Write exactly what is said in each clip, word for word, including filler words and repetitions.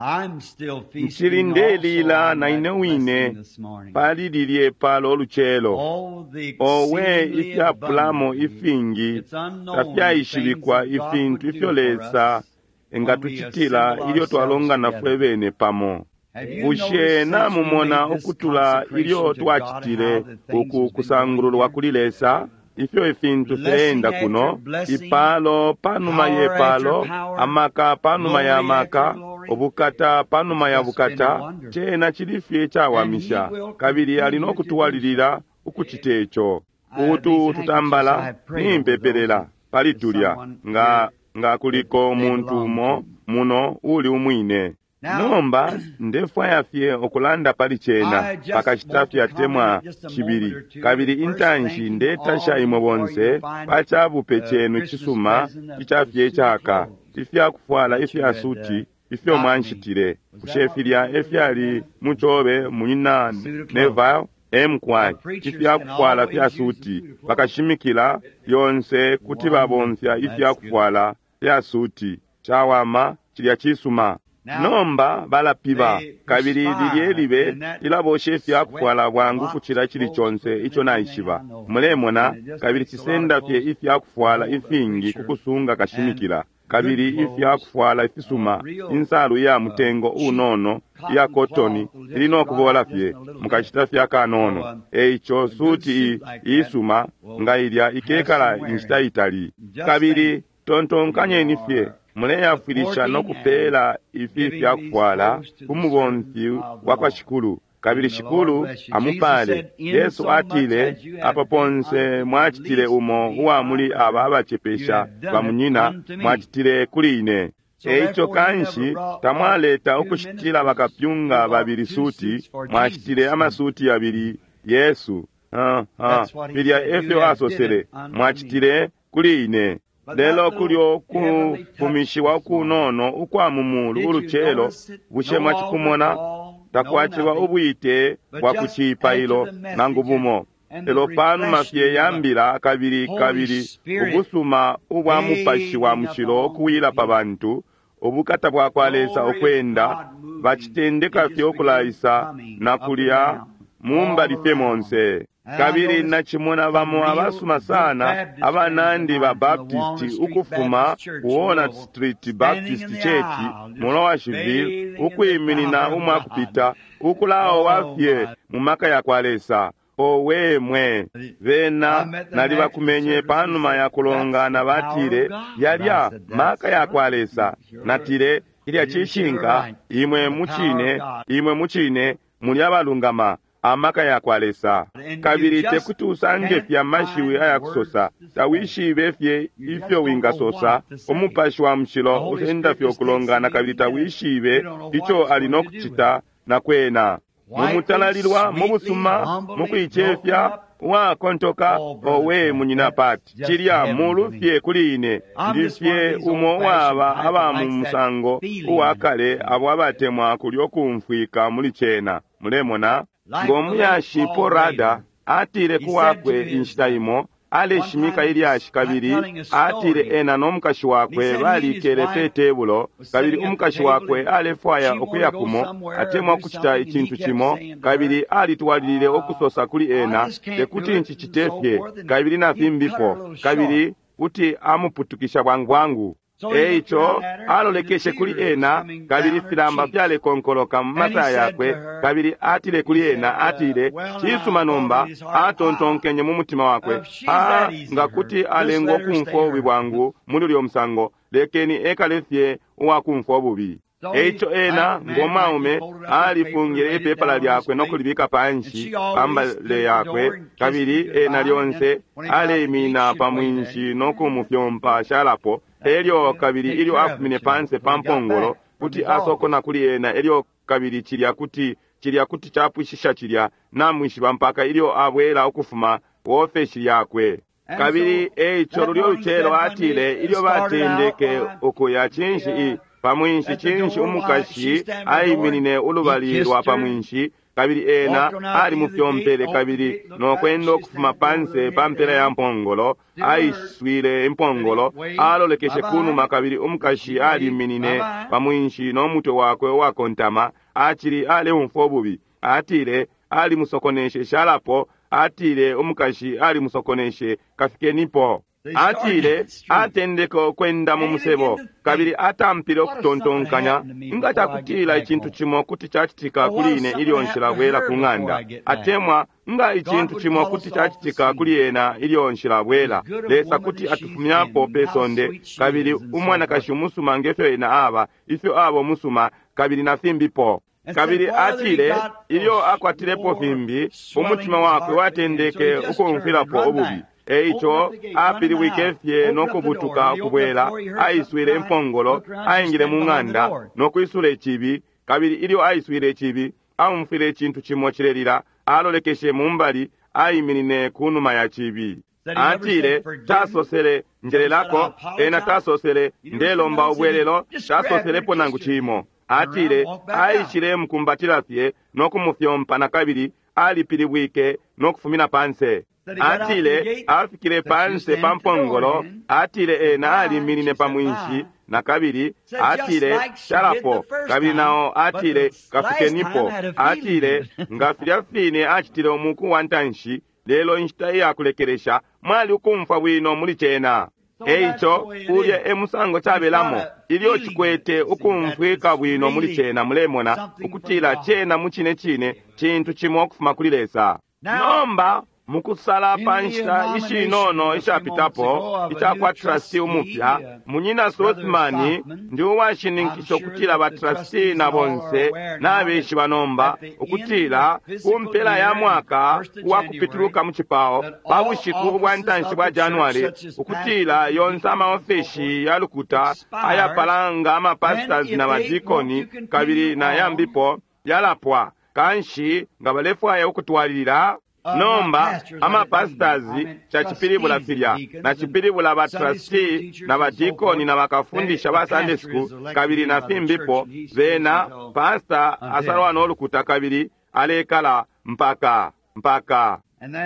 I'm still Nchili feasting ndelila also on na that ine wine blessing this morning. pali lilye palo olucelo. Oh, the Owe exceedingly ifyapulamo abundantly, ifingi it's unknown the things tafyaishibikwa that God ifintu would ifyo do for Lesa us when we engatucitila assemble ilyo ourselves twalongana together. fwe bene pamo. Have you Bushe noticed since we namumona made this ukutula ilyo consecration to God twacitile how the things uku has been going kusangululwa here? kuli Lesa ifyo ifintu Blessing fileenda after kuno, blessing, ipalo panuma ye power after palo, power, amaka panuma ya glory after maka, glory. ubukata panuma It's ya just been bukata, wonderful. cena chili fye And he cawamisha, will kabili ali continue no to do so. kutwalilila ukucita ico. Uh, Utu these handkerchiefs, I tutambala have prayed over those. nimpepelela pali There's tulya someone nga here nga that kuliko they umuntu belong umo to. muno uli umwine. Now, Nomba ndefwaya fye ukulanda pali cena I just pakashita want to fye atemwa comment just a moment cibili or two. kabili First, intanshi thanking ndetasha all imwe you for bonse your fine pa cabupe uh, cenu Christmas cisuma present of ica the fye suit of caka clothes ifyakufwala that you ifya had uh, suti ifyo got me. mwanshitile Was that bushe what was filya ordered, efyali Brother? mucobe munyina Suit of clothes. Neville emkwai Our preachers can ifyakufwala fya always use a suti suit of clothes. bakashimikila lyonse kuti babomfya Wonderful. That's good. ifyakufwala fya suti cawama cilya cisuma. Now, Nomba balapiba they kabili lilye perspire libe and that lilabosha sweat ifyakufwala bwangu blocks kucila cili clothes conse quicker ico than anything naishiba. I know. Mulemona And it just kabili takes a lot of cisenda fye clothes to ifyakufwala hold a ifingi preacher kukusunga and kashimikila good kabili clothes, ifyakufwala uh, ifisuma real insalu ya uh, mutengo cheap unono iya cotton kotoni cloth will ili just no dry kubola up just fye in a little bit. mukashita fye So akanono. um, Eico a good suti suit like that iisuma nga will ilya have ikekala some wear inshita in it. itali. Just Kabili think, you tontonkanyeni fye are muleyafwilisha no supporting and kupeela ifi giving these fyakufwala clothes to ku the mubomfi servant of the wa kwa Lord. Shikulu kabili And the Lord Shikulu bless you. Jesus amupale. said, Yesu Insomuch atile as you apa have done ponse unto the mwacitile least of umo these uwa my muli aba brethren, you abacepesha have done it bamunyina unto me. mwacitile kuli ine. So Eico therefore you never kanshi brought what tamwaleta two ukushitila ministers, you bakapyunga bought babili two suti suits for mwacitile Jesus. amasuti yabili Yesu. Ah, ah, That's what he filya said. You efyo have did asosele it unto me. mwacitile kuli ine. But that Lelo little kulyo heavenly touch kufumishiwa this morning, kunono ukwa mu mulu did you ulucelo notice it? bushe No altar mwacikumona call, no takwaciba nothing, ubwite but bwa ku just after cipailo the nangu message and, bumo. and the Lelo panuma fye refreshing of the yambila kabili Holy kabili Spirit ubusuma ubwa mupashi wa bathing mushilo upon the ukuwila pa people. bantu ubukata bwa kwa Lesa Glory of ukwenda God moving. bacitendeka It fye just began ukulaisa coming na up and kulya down, mu mbali all fye around. monse. And I Kabili noticed nachimona some bamo real abasuma good sana Baptist friends of abanandi ba mine from the Walnut Baptist Street ukufuma Baptist Church ku in Walnut Louisville, Street standing Baptist in the Church aisle, mu just Lowerville bathing in the ukwiminina power of umwa God. kupita ukulaowa Oh fye my. mu maka ya kwa Lesa. Owe mwe I bena met them after the nalibakumenye service and panuma said, ya That's kulongana the power of batile God. And I yalya said, maka That's ya kwa right. Lesa. Sure. Natile ilya You're sure cishinka right. imwe The power of mucine God. imwe mucine muli abalungama amaka ya kwa Lesa. And you Kabili just tekuti usange can't fye amashiwi find words ayakusosa to say. tawishibe fye You just ifyo don't know wingasosa what to say. umupashi wa The mushilo Holy usenda Spirit fye just takes the ukulongana kabili meeting and you tawishibe don't know what ico it's ali going no to do with it. kucita na kwena. Quietly, Mumutalalilwa mu sweetly, busuma mu humbly, broken kuicefya up. uwakontoka Oh, Brother owe Pat, munyina that's Pat just cilya heaven to mulu me. fye kuli ine I'm ndi just one of fye these umo old fashioned waba type that aba mu likes that musango feeling. uwa kale abo abatemwa kulyo kumfwika muli cena mulemona Like the late ngomuyashi Paul Paul Rada Rader, atile he ku said to wakwe his, inshita uh, imo one aleshimika time he was ilyashi uh, kabili telling a atile story. ena no mukashi And he wakwe said he and his balikele pe wife tebulo was kabili sitting at the umukashi table wakwe and alefwaya she wanted ukuya to go kumo somewhere or atemwa do kucita something, and he icintu kept cimo saying to her, kabili alitwalilile uh, ukusosa kuli I ena just can't do tekuti it, and ncicite so fye forth, and kabili na he'd cut her a fimbipo little short. kabili kuti amuputukisha bwangu bwangu. So he looked Eico down at her, and the alolekeshe kuli tears was ena coming kabili down her filamba cheeks. fyalekonkoloka mu And he masaya said to yakwe her, kabili atile he kuli said, ena uh, atile well, now, cisuma I thought in nomba his heart, ah, atontonkenye mu mutima wakwe if she's ah that easy nga to her, kuti just alengwa let her stay ukumfwa ububi hurt. bwangu muli ulyo musango lekeni ekale fye uwakumfwa ububi. So he, Eico like ena the man, like he ngomwaume folded up his paper and alifungile laid it ipepala down on his lyakwe no plate. kulibika And panshi she pa always mbale stood at the yakwe door and kissed him kabili ena goodbye. And then lyonse when he got out the gate, aleimina she'd pa wave at him. mwinshi no kumufyompa shalapo That elyo would kabili take ilyo care of afumine it, you know, panse till pa he got mpongolo back from kuti his office. asokona kuli ena elyo kabili cilya kuti cilya kuti capwishisha cilya namwishiba mpaka ilyo abwela ukufuma wofeshi yakwe. And Kabili so eico that lulyo morning lucelo said when atile they ilyo started out, batendeke why, ukuya cinshi the, i uh, pa mwinshi at the cinshi door, why, she umukashi standing at the door and aiminine he ulubali lwa kissed pa her. mwinshi Kabili ena alimufyompele kabili nokwenda ukufuma panse pa mpela ya mpongolo, aiswile impongolo, alolekeshe kunuma kabili umukashi aliminine pa mwinshi no mutwe wakwe uwakontama, acili aleumfwa ububi. Atile alimusokoneshe shalapo, atile umukashi alimusokoneshe kafikenipo. Atile atendeke ukwenda mu musebo kabili atampile ukutontonkanya, nga cakutila icintu cimo kuti cacitika kuli ine ilyo nshilabwela ku ng'anda, atemwa nga icintu cimo kuti cacitika kuli ena ilyo nshilabwela, Lesa kuti atufumyapo pe sonde. Kabili umwanakashi umusuma ngefyo ena aba, ifyo aba umusuma, kabili na fimbipo. Kabili atile ilyo akwatilepo fimbi, umutima wakwe watendeke ukumfwilapo ububi. Eico apilibwike fye no kubutuka ukubwela, aiswile impongolo, aingile mu ng'anda no kwisula icibi. Kabili ilyo aiswile icibi, aumfwile icintu cimo cilelila, alolekeshe mumbali, aiminine ku numa ya cibi. Atile tasosele njelelako, ena tasosele ndelomba ubwelelo, tasoselepo nangu cimo. Atile aishile mukumbatila fye no kumufyompa na kabili alipilibwike no kufumina panse. Atile afikile panse pa mpongolo, atile ena aliminine pa mwinshi na kabili, atile shalapo, kabili nao atile kafikenipo. Atile nga filya fine acitile umuku wa ntanshi, lelo inshita iya kulekelesha mwali ukumfwa bwino muli cena. Eico ulya e musango cabelamo ilyo cikwete ukumfwika bwino muli cena, mulemona ukutila cena mu cine cine cintu cimo ukufuma kuli Lesa. Nomba mukusala pa nshita ishinono ishapitapo icakwa trustee umupya, munyina Sothmann, ndi uwashininkisha ukutila ba trustee na bonse nabeshiba nomba ukutila ku mpela ya mwaka uwa kupituluka mu cipao pa bushiku ubwa ntanshi bwa January, ukutila yonse amaofeshi ya lukuta ayapalanga amapastors na badikoni kabili na yambipo yalapwa. Kanshi nga balefwaya ukutwalilila nomba amapastors cacipilibula filya nacipilibula ba trustee na badikoni na bakafundisha ba Sunday school kabili na fimbipo, bena pastor asalwa nolukuta kabili alekala mpaka mpaka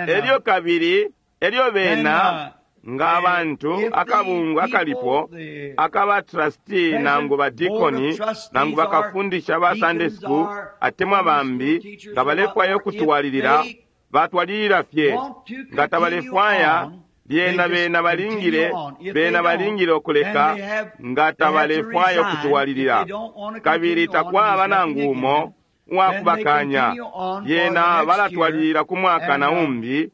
elyo kabili elyo bena nga abantu akabungu akalipo akaba trustee nangu badikoni nangu bakafundisha ba Sunday school atemwa bambi nga balefwaya ukutwalilila batwalilila fye. Nga tabalefwaya lyena bena balingile bena balingile ukuleka nga tabalefwaya ukutwalilila, kabili takwaba nangu umo uwakubakanya. Lyena balatwalilila ku mwaka na umbi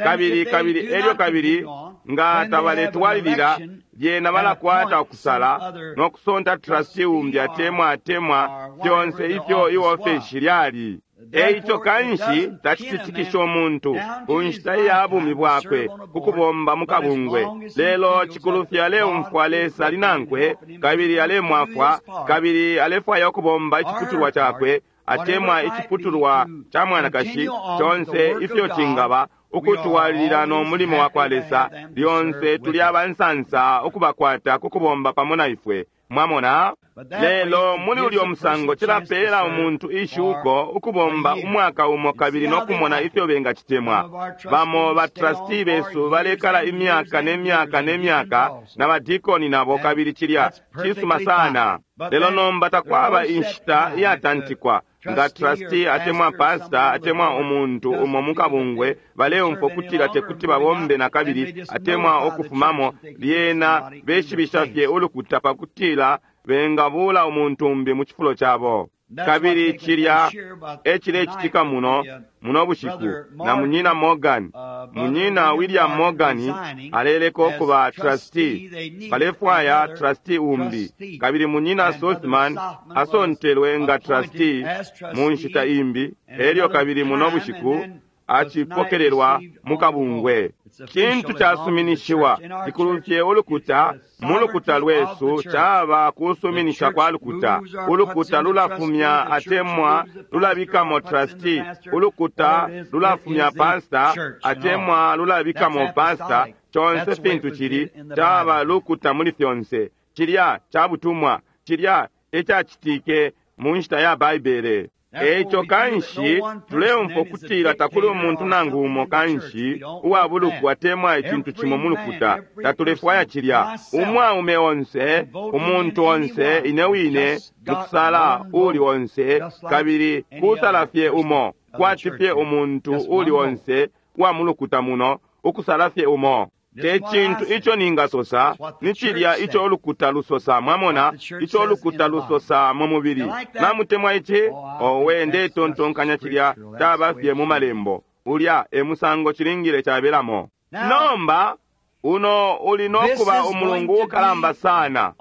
kabili kabili elyo kabili nga tabaletwalilila lyena balakwata ukusala no kusonta trustee umbi atemwa atemwa fyonse ifyo iofeshi lyali. Eico kanshi tacititikisha umuntu ku nshita iya bumi bwakwe ukubomba mu kabungwe, lelo cikulu aleumfwa Lesa ali nankwe kabili alemwafwa kabili alefwaya ukubomba iciputulwa cakwe atemwa iciputulwa ca mwanakashi conse ifyo cingaba ukutwalilila no mulimo wa kwa Lesa. Lyonse tuli abansansa ukubakwata ku kubomba pamo na ifwe, mwamona. Lelo muli ulyo musango cilapeela umuntu ishuko ukubomba umwaka umo kabili no kumona ifyo bengacitemwa. Bamo ba trustee besu balekala imyaka ne myaka ne myaka na badikoni nabo, kabili cilya cisuma sana. Lelo nomba takwaba inshita iyatantikwa nga trustee atemwa pastor atemwa umuntu umo mukabungwe baleumfwa kutila tekuti babombe na kabili atemwa ukufumamo, lyena beshibisha fye ulukuta pakutila bengabula umuntu umbi mu cifulo cabo. Kabili cilya ecilecitika muno muno bushiku na munyina Morgan, munyina William Morgan aleleka ukuba trustee, balefwaya trustee umbi, kabili munyina Sothmann asontelwe nga trustee mu nshita imbi, elyo kabili muno bushiku acipokelelwa mu kabungwe. Cintu casuminishiwa cikulufye ulukuta mu lukuta lwesu caba kusuminisha kwa lukuta. Ulukuta lulafumya atemwa lulabikamo trustee, ulukuta lulafumya pastor atemwa lulabikamo pastor. Conse fintu cili caba lukuta muli fyonse. Cilya cabutumwa, cilya ecacitike mu nshita ya Baibele. Eico kanshi tuleumfwa ukutila takuli umuntu nangu umo kanshi uwa buluku atemwa icintu cimo mu lukuta. Tatulefwaya cilya. Umwaume onse, umuntu onse, ine wine mukusala uli onse, kabili kusala fye umo, kwati fye umuntu uli onse wa mu lukuta muno, ukusala fye umo. Te cintu ico ningasosa, ni cilya ico ulukuta lusosa, mwamona, ico ulukuta lusosa mu mubili. Namutemwa ici? Owe, ndetontonkanya cilya caba fye mu malembo. Ulya e musango cilingile cabelamo. Nomba uno uli nokuba umulungu ukalamba sana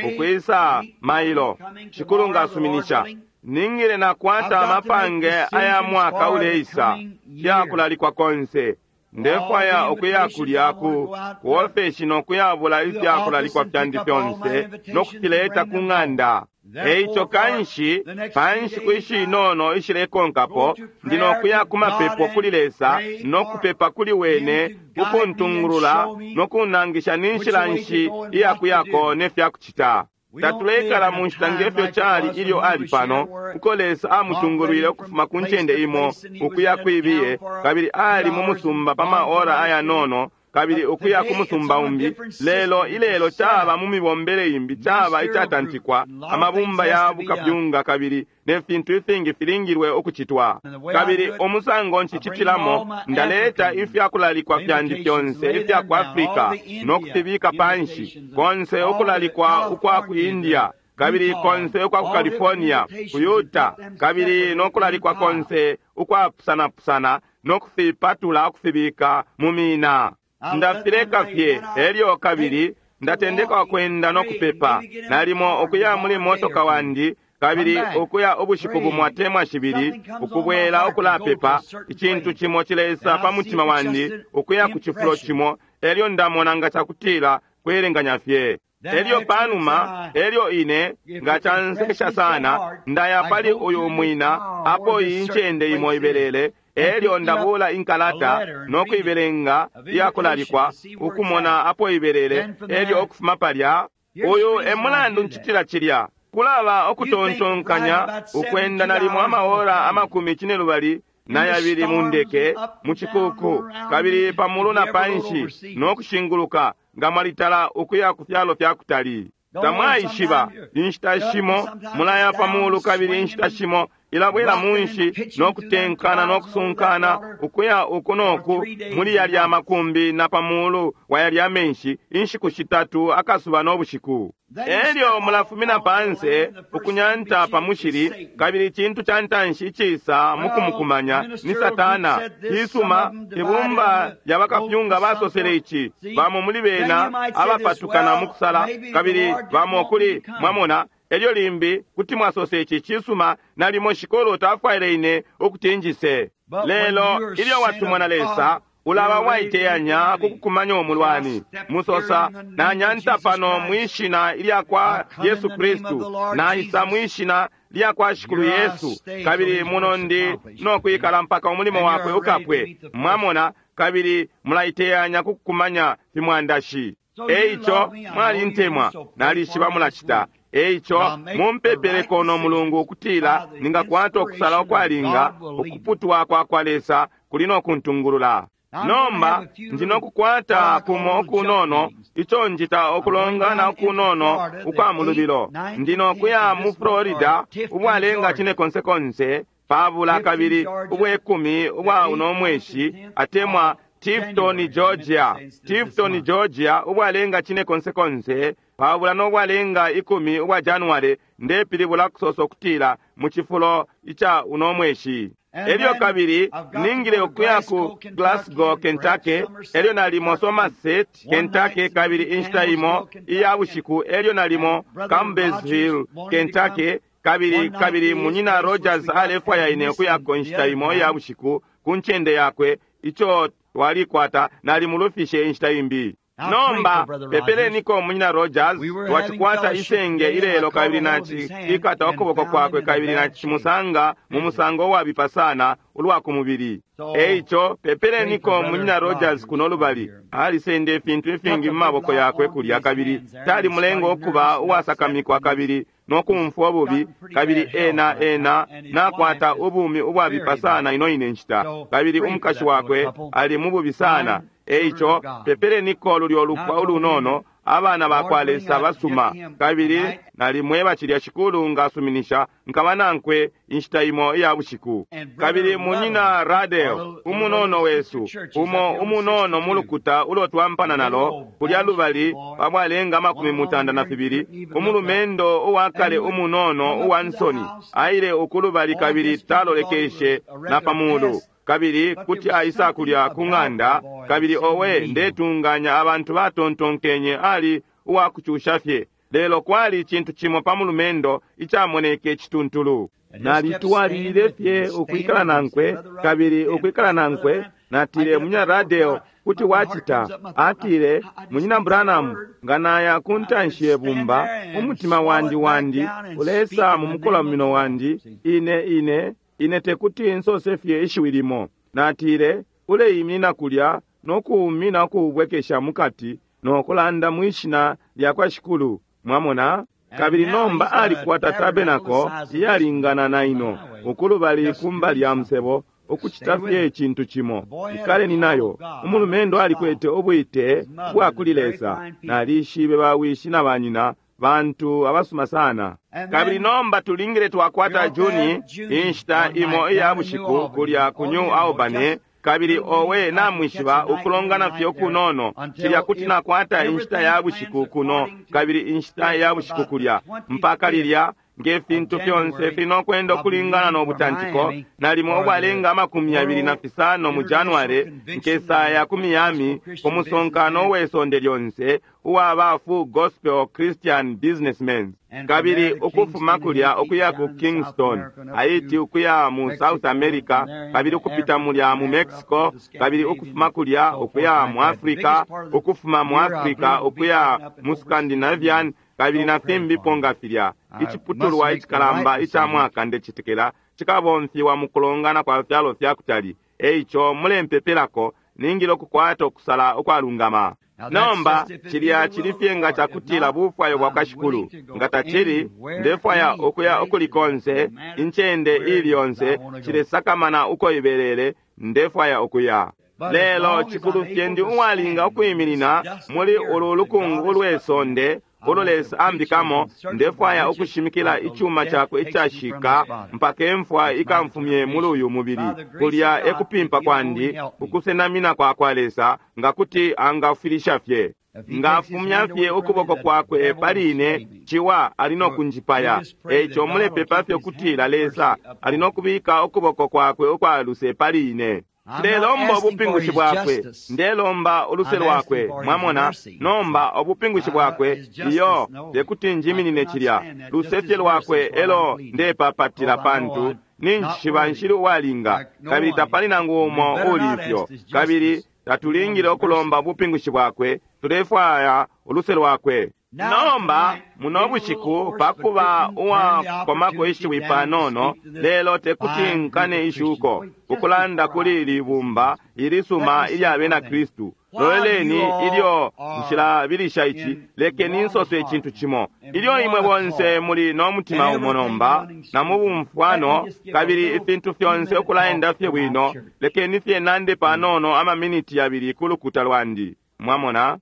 ukwisa mailo, Shikulu ngasuminisha. Ningile nakwata amapange aya mwaka uleisa fyakulalikwa konse. Ndefwaya ukuya kulya ku kuofeshi nokuyabula ifyakulalikwa fyandi fyonse nokufileta ku ng'anda. Eico kanshi pa nshiku ishinono ishilekonkapo ndi nokuya ku mapepo kuli Lesa nokupepa kuli wene ukuntungulula nokunangisha ni nshila nshi iyakuyako ne fyakucita. Tatuleikala mu nshita ngefyo cali ilyo ali pano, uko Lesa amutungulwile ukufuma ku ncende imo ukuya kwibiye, kabili ali mu musumba pa maora ayanono, kabili ukuya ku musumba umbi. Lelo ilelo caba mu mibombele imbi, caba icatantikwa, amabumba ya bukapyunga kabili ne fintu ifingi filingilwe ukucitwa. Kabili umusango nshicitilamo, ndaleta ifyakulalikwa fyandi fyonse ifya ku Afrika no kufibika panshi, konse ukulalikwa ukwa ku India, kabili konse ukwa ku California, ku Utah, kabili no kulalikwa konse ukwapusanapusana no kufipatula ukufibika mu mina. Ndafileka fye, elyo kabili ndatendeka ukwenda no kupepa, nalimo ukuya muli motoka wandi, kabili ukuya ubushiku bumo atemwa shibili, ukubwela ukulapepa. Icintu cimo cilesa pa mutima wandi ukuya ku cifulo cimo, elyo ndamona nga cakutila kwelenganya fye. Elyo panuma, elyo ine nga cansesha sana, ndaya pali uyu mwina apo iyi ncende imo ibelele, elyo ndabula inkalata no kuibelenga iyakulalikwa ukumona apo ibelele, elyo ukufuma palya. Uyu e mulandu ncitila cilya. Kulaba ukutontonkanya ukwenda nalimo amaora amakumi cinelubali na yabili mu ndeke mu cikuku, kabili pamulu na panshi no kushinguluka nga mwalitala ukuya ku fyalo fya kutali. Tamwaishiba, inshita shimo mulaya pamulu kabili inshita shimo ilabwela munshi no kutenkana no kusunkana ukuya uku noku muli yalya makumbi na pamulu wa yalya menshi inshiku shitatu akasuba no bushiku. Elyo mulafumina panse ukunyanta pa mushili, kabili icintu ca ntanshi icisa mukumukumanya ni Satana. Cisuma, ibumba lya bakapyunga basosele ici, bamo muli bena abapatukana mu kusala, kabili bamo kuli mwamona. Elyo limbi kuti mwasose ici, cisuma, nalimo Shikolo tafwaile ine ukuti njise. Lelo ilyo watumwa na Lesa, ulaba waiteyanya kukukumanya umulwani. Musosa, nanyanta pano mwishina ilya kwa Yesu Kristu, naisa mwishina lya kwa Shikulu Yesu, kabili muno ndi nokwikala mpaka umulimo wakwe ukapwe. Mwamona, kabili mulaiteyanya kukukumanya fimwandashi. Eico mwalintemwa, nalishiba mulacita. Eico mumpepeleko no Mulungu ukutila ningakwata ukusala ukwalinga, ukuputwa kwa kwa Lesa kuli no kuntungulula. Nomba ndi nokukwata kumo okunono ico njita okulongana okunono ukwa mulubilo. Ndi nokuya mu Florida ubwalenga cine konsekonse pabula kabili ubwekumi ubwa uno mweshi, atemwa Tifton, Georgia. Tifton, Georgia, ubwalenga cine konsekonse pabula nobwalenga ikumi ubwa January, ndepilibula kusosa okutila mu cifulo ica uno mweshi. Elyo kabili ningile ukuya ku Glasgow, Kentucky, elyo nalimo Somerset, Kentucky, kabili inshita imo iya bushiku, elyo nalimo Campbellsville, Kentucky, kabili kabili munyina Rogers alefwaya ine ukuyako inshita imo iya bushiku ku ncende yakwe ico twalikwata, nalimulufishe inshita imbi. Nomba pepeleniko munyina Rogers, twacikwata isenge ilelo kabili nacikata ukuboko kwakwe kabili nacimusanga mu musango uwabipa sana ulwa ku mubili. Eico pepeleniko munyina Rogers kuno lubali, alisenda ifintu ifingi mu maboko yakwe kulya kabili talimulenga ukuba uwasakamikwa kabili no kumfwa ububi, kabili ena ena nakwata ubumi ubwabipa sana ino ine nshita, kabili umukashi wakwe ali mububi sana. Eico pepeleniko lulyo lupwa ulunono, abana bakwa Lesa basuma. Kabili nalimweba cilya Shikulu ngasuminisha nkaba nankwe inshita imo iya bushiku. Kabili munyina Radel umunono wesu umo umunono mulukuta ulo twampana nalo kulya lubali pabwalenga amakumi mutanda na fibili, umulumendo uwakale umunono uwa nsoni aile ukulubali kabili talolekeshe na pamulu, kabili kuti aisa kulya ku ng'anda. Kabili owe, ndetunganya abantu batontonkenye ali uwakucusha fye, lelo kwali icintu cimo pa mulumendo icamoneke cituntulu. Nalitwalilile fye ukwikala nankwe kabili ukwikala nankwe. Natile, Munyina Radel, kuti wacita? Atile, Munyina Branham, nga naya ku ntanshi ye bumba, umutima wandi wandi ulesa mu mukolamino wandi, ine ine ine tekuti nsose fye ishiwi limo. Natile, uleiminina kulya nokuumina ukuubwekesha mukati nokulanda mwishina lya kwa Shikulu. Mwamona? Kabili nomba alikwata tabenako iyalingana na ino ukulubali kumba lya musebo, ukucita fye icintu cimo. Ikaleni nayo. Umulumendo alikwete ubwite bwa kuli Lesa. Nalishibe bawishi na banyina, bantu abasuma sana. Kabili nomba tulingile twakwata Juni inshita imo iya bushiku kulya ku New Albany. Kabili owe, namwishiba ukulongana fye kunono cilya kuti nakwata inshita ya bushiku kuno kabili inshita ya bushiku kulya, mpaka lilya nge fintu fyonse finokwenda ukulingana no butantiko. Nalimo ubwalenga amakumi yabili na fisano mu January nkesaya ku Miami ku musonkano we sonde lyonse uwa ba Full Gospel Christian Businessmen. Kabili ukufuma kulya ukuya ku Kingston, Haiti, ukuya mu South America, kabili ukupita mulya mu Mexico, kabili ukufuma kulya ukuya mu Africa, ukufuma mu Africa ukuya mu Scandinavian, kabili na fimbipo nga filya. Iciputulwa icikalamba ica mwaka ndecitekela cikabomfiwa mu kulongana kwa fyalo fya kutali. Eico mulempepelako, ningile ukukwata ukusala ukwalungama. Nomba cilya cili fye nga cakutila bufwayo bwa kwa Shikulu. Nga tacili, ndefwaya ukuya ukuli konse, incende ili yonse, cilesakamana uko ibelele, ndefwaya ukuya. Lelo cikulu fye ndi uwalinga ukwiminina muli ulu lukungu ulwe sonde ulo Lesa ambikamo, ndefwaya ukushimikila icuma cakwe icashika mpaka imfwa ikamfumye muli uyu mubili. Kulya ekupimpa kwandi, ukusenamina kwa kwa Lesa, nga kuti angafilisha fye, ngafumya fye ukuboko kwakwe pali ine, ciwa ali no kunjipaya. Eico mulepepa fye kutila Lesa ali no kubika ukuboko kwakwe ukwa luse pali ine. Ndelomba ubupingushi bwakwe, ndelomba uluse lwakwe. Mwamona? Nomba ubupingushi bwakwe, iyo tekuti njiminine cilya. Luse fye lwakwe elo ndepapatila, pantu ninjishiba nshili uwalinga, kabili tapali nangu umo uli ifyo. Kabili tatulingile ukulomba ubupingushi bwakwe, tulefwaya uluse lwakwe. Nomba muno bushiku pakuba uwakomako ishiwi panono, lelo tekuti nkane ishuko ukulanda kuli ili bumba ilisuma ilya bena Kristu. Loleleni ilyo nshilabilisha ici, lekeni nsose icintu cimo. Ilyo imwe bonse muli no mutima umo nomba na mu bumfwano, kabili ifintu fyonse ukulaenda fye bwino, lekeni fye nande panono amaminiti yabili ku lukuta lwandi. Mwamona?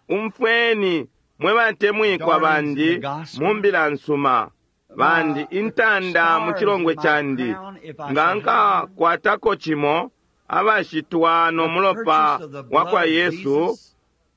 Umfweni mwe batemwikwa bandi mu mbila nsuma bandi, intanda mu chilongwe chandi, nga nkakwatako cimo abashitwa no mulopa wa kwa Yesu,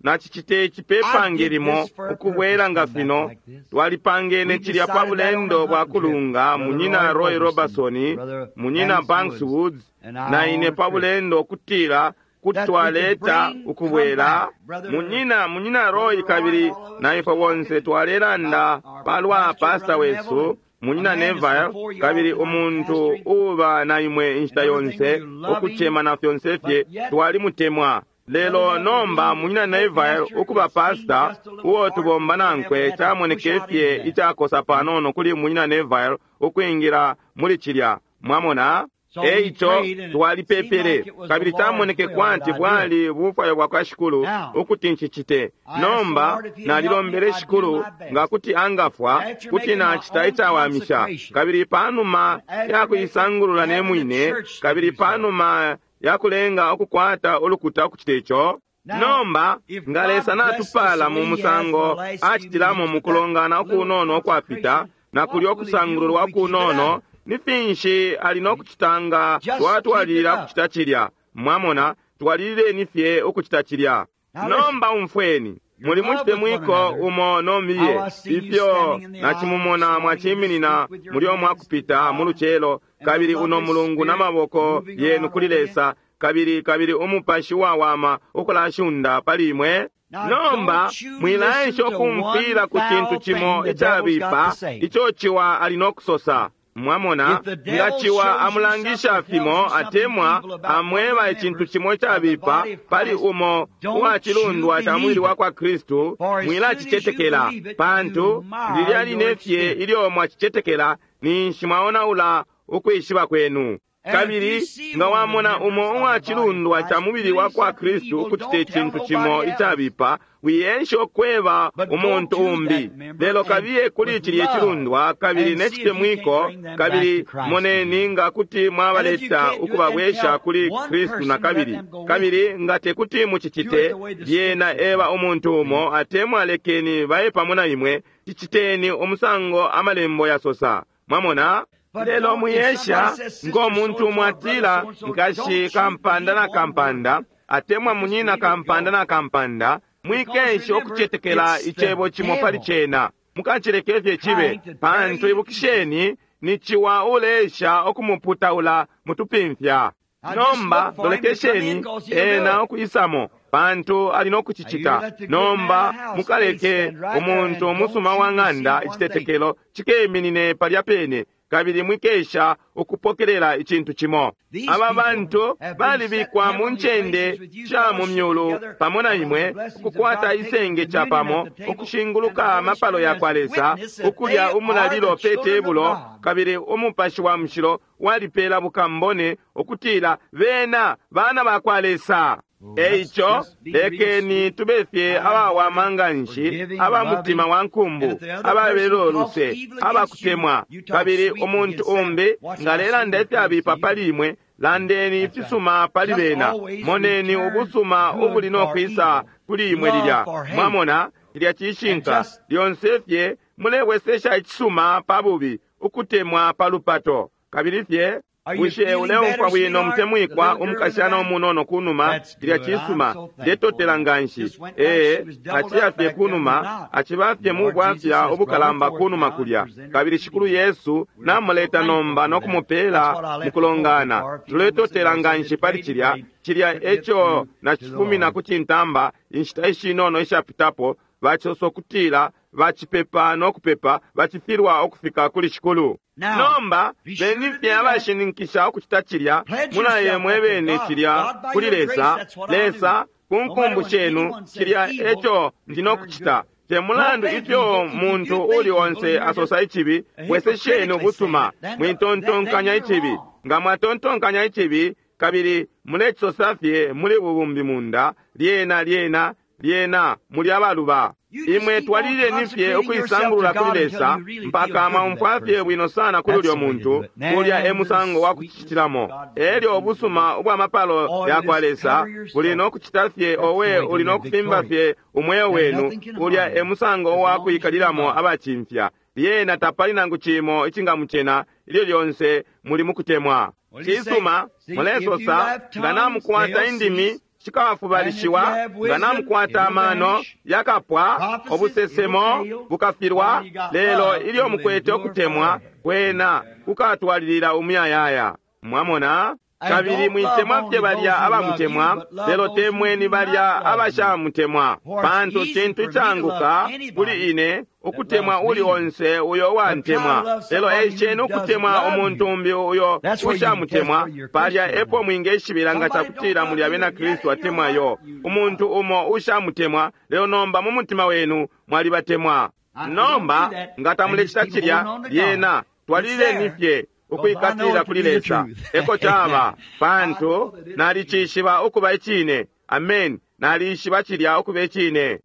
na cicite cipepange limo ukubwela nga fino. Twalipangene cilya pa bulendo bwa kulunga, munyina Roy Robertson, munyina Banks Woods na ine pa bulendo, ukutila kuti twaleta ukubwela munyina munyina Roy kabili na ifwe bonse twalelanda palwa pasta wesu munyina Neville, kabili umuntu uba na imwe inshita yonse ukuchema na fyonse fye twalimutemwa. Lelo nomba munyina Neville ukuba pasta uo tubomba nankwe camoneke fye icakosa panono kuli munyina Neville ukwingira muli cilya. Mwamona? Eico twalipepele, kabili camoneke kwati bwali bufwayo bwa kwa Shikulu ukuti ncicite. Nomba nalilombele Shikulu nga kuti angafwa, kuti nacita icawamisha. Kabili panuma ya kuisangulula ne mwine, kabili panuma ya kulenga ukukwata ulukuta ukucita ico. Nomba nga Lesa natupala mu musango acitilamo mu kulongana ukunono ukwapita na kulya okusangululwa kunono, ni finshi ali nokucita nga twatwalilila ukucita cilya? Mwamona, twalilileni fye ukucita cilya. Nomba umfweni, muli mucitemwiko umo nomiye ifyo nacimumona mwaciminina muli omwakupita mu lucelo, kabili uno mulungu n'amaboko yenu kuli Lesa, kabili kabili umupashi wawama ukulashunda pali imwe. Nomba mwilaesha okumfwila ku cintu cimo icabipa ico ciwa ali nokusosa. Mwamona, nga ciwa amulangisha fimo atemwa amweba icintu cimo icabipa pali umo uwacilundwa ca mubili wa kwa Kristu, mwilacicetekela, pantu lilya line fye ilyo mwacicetekela ninshi mwaonaula ukwishiba kwenu. Kabili nga wamona umo uwacilundwa ca mubili wa kwa Kristu ukucita icintu cimo icabipa, wiensha okweba umuntu umbi, lelo kabiye kuli cilya cilundwa kabili necitemwiko, kabili moneni nga kuti mwabaleta ukubabwesha kuli Kristu na kabili. Kabili nga tekuti mucicite, lyena eba umuntu umo atemwa lekeni baye pamo na imwe, ciciteni umusango amalembo yasosa. Mwamona? Lelo muyesha ngo muntu mwatila nkashi kampanda na kampanda atemwa munyina kampanda na kampanda, mwikensha okucetekela icebo cimo pali cena, mukacileke fye cibe, pantu ibukisheni ni ciwa uleesha okumuputaula mutupimfya. Nomba lolekesheni ena okuyisamo, pantu ali nokucicita. Nomba mukaleke umuntu umusuma wa ng'anda icitetekelo cikeminine palya pene, kabili mwikesha ukupokelela icintu cimo. Aba bantu balibikwa mu ncende sha mu myulu pamo na imwe, ukukwata isenge ca pamo, ukushinguluka amapalo ya kwa Lesa, ukulya umulalilo pe tebulo, kabili umupashi wa mushilo walipela bukambone ukutila bena bana ba kwa Lesa. Eico lekeni tube fye abawama nga nshi, aba mutima wa nkumbu, ababelo luse, abakutemwa. Kabili umuntu umbi nga alelanda ifyabipa pali imwe, landeni ifisuma pali bena. Moneni ubusuma ubuli nokwisa kuli imwe lilya. Mwamona, lilya cishinka lyonse fye mulebwesesha icisuma pa bubi, ukutemwa pa lupato. Kabili fye bushe uleumfwa bwino mutemwikwa umukashana umunono kunuma? Lilya cisuma, ndetotela nganshi. Ee, aciya fye kunuma, aciba fye mu bwafya ubukalamba kunuma kulya. Kabili Shikulu Yesu namuleta nomba nokumupela mukulongana. Tuletotela nganshi pali cilya. Cilya eco nacifumina ku cintamba inshita ishinono ishapitapo, bacisosa ukutila bacipepa nokupepa bacifilwa ukufika kuli Shikulu. Nomba beni fye abashininkisha ukucita cilya, mulaye mwebene cilya kuli Lesa. Lesa ku nkumbu shenu, cilya eco ndi nokucita. Te mulandu ifyo muntu uli onse asosa icibi, bwesesheni ubusuma, mwitontonkanya icibi. Nga mwatontonkanya icibi kabili mulecisosa fye muli bubumbi munda, lyena lyena lyena muli abaluba. Imwe twalileni fye ukuisangulula kuli Lesa mpaka mwaumfwa fye bwino sana kuli ulyo muntu. Kulya e musango wa kucitilamo. Elyo ubusuma ubwa mapalo ya kwa Lesa buli nokucita fye, owe uli nokufimba fye umweo wenu. Ulya e musango wa kuikalilamo abacimfya. Lyena tapali nangu cimo icingamucena ilyo lyonse muli mukutemwa. Cisuma, mulesosa nga namukwata indimi shikafubalishiwa, nga namukwata amano yakapwa, obusesemo bukafilwa. Lelo ilyo mukwete okutemwa kwena kukatwalilila umuyayaya. Mwamona? Kabili mwitemwa fye balya abamutemwa, lelo temweni balya abashamutemwa, pantu cintu icanguka kuli ine ukutemwa uli onse uyo uwantemwa, lelo esheni ukutemwa umuntu umbi uyo ushamutemwa. Palya epo mwingeshibila nga cakutila muli abena Kristu atemwayo umuntu umo ushamutemwa, lelo nomba mu mutima wenu mwalibatemwa. Nomba nga tamulecita cilya, lyena twalileni fye ukwikatilila kuli Lesa. Eko caba, pantu nalicishiba ukuba icine. Amen. Nalishiba cilya ukuba icine.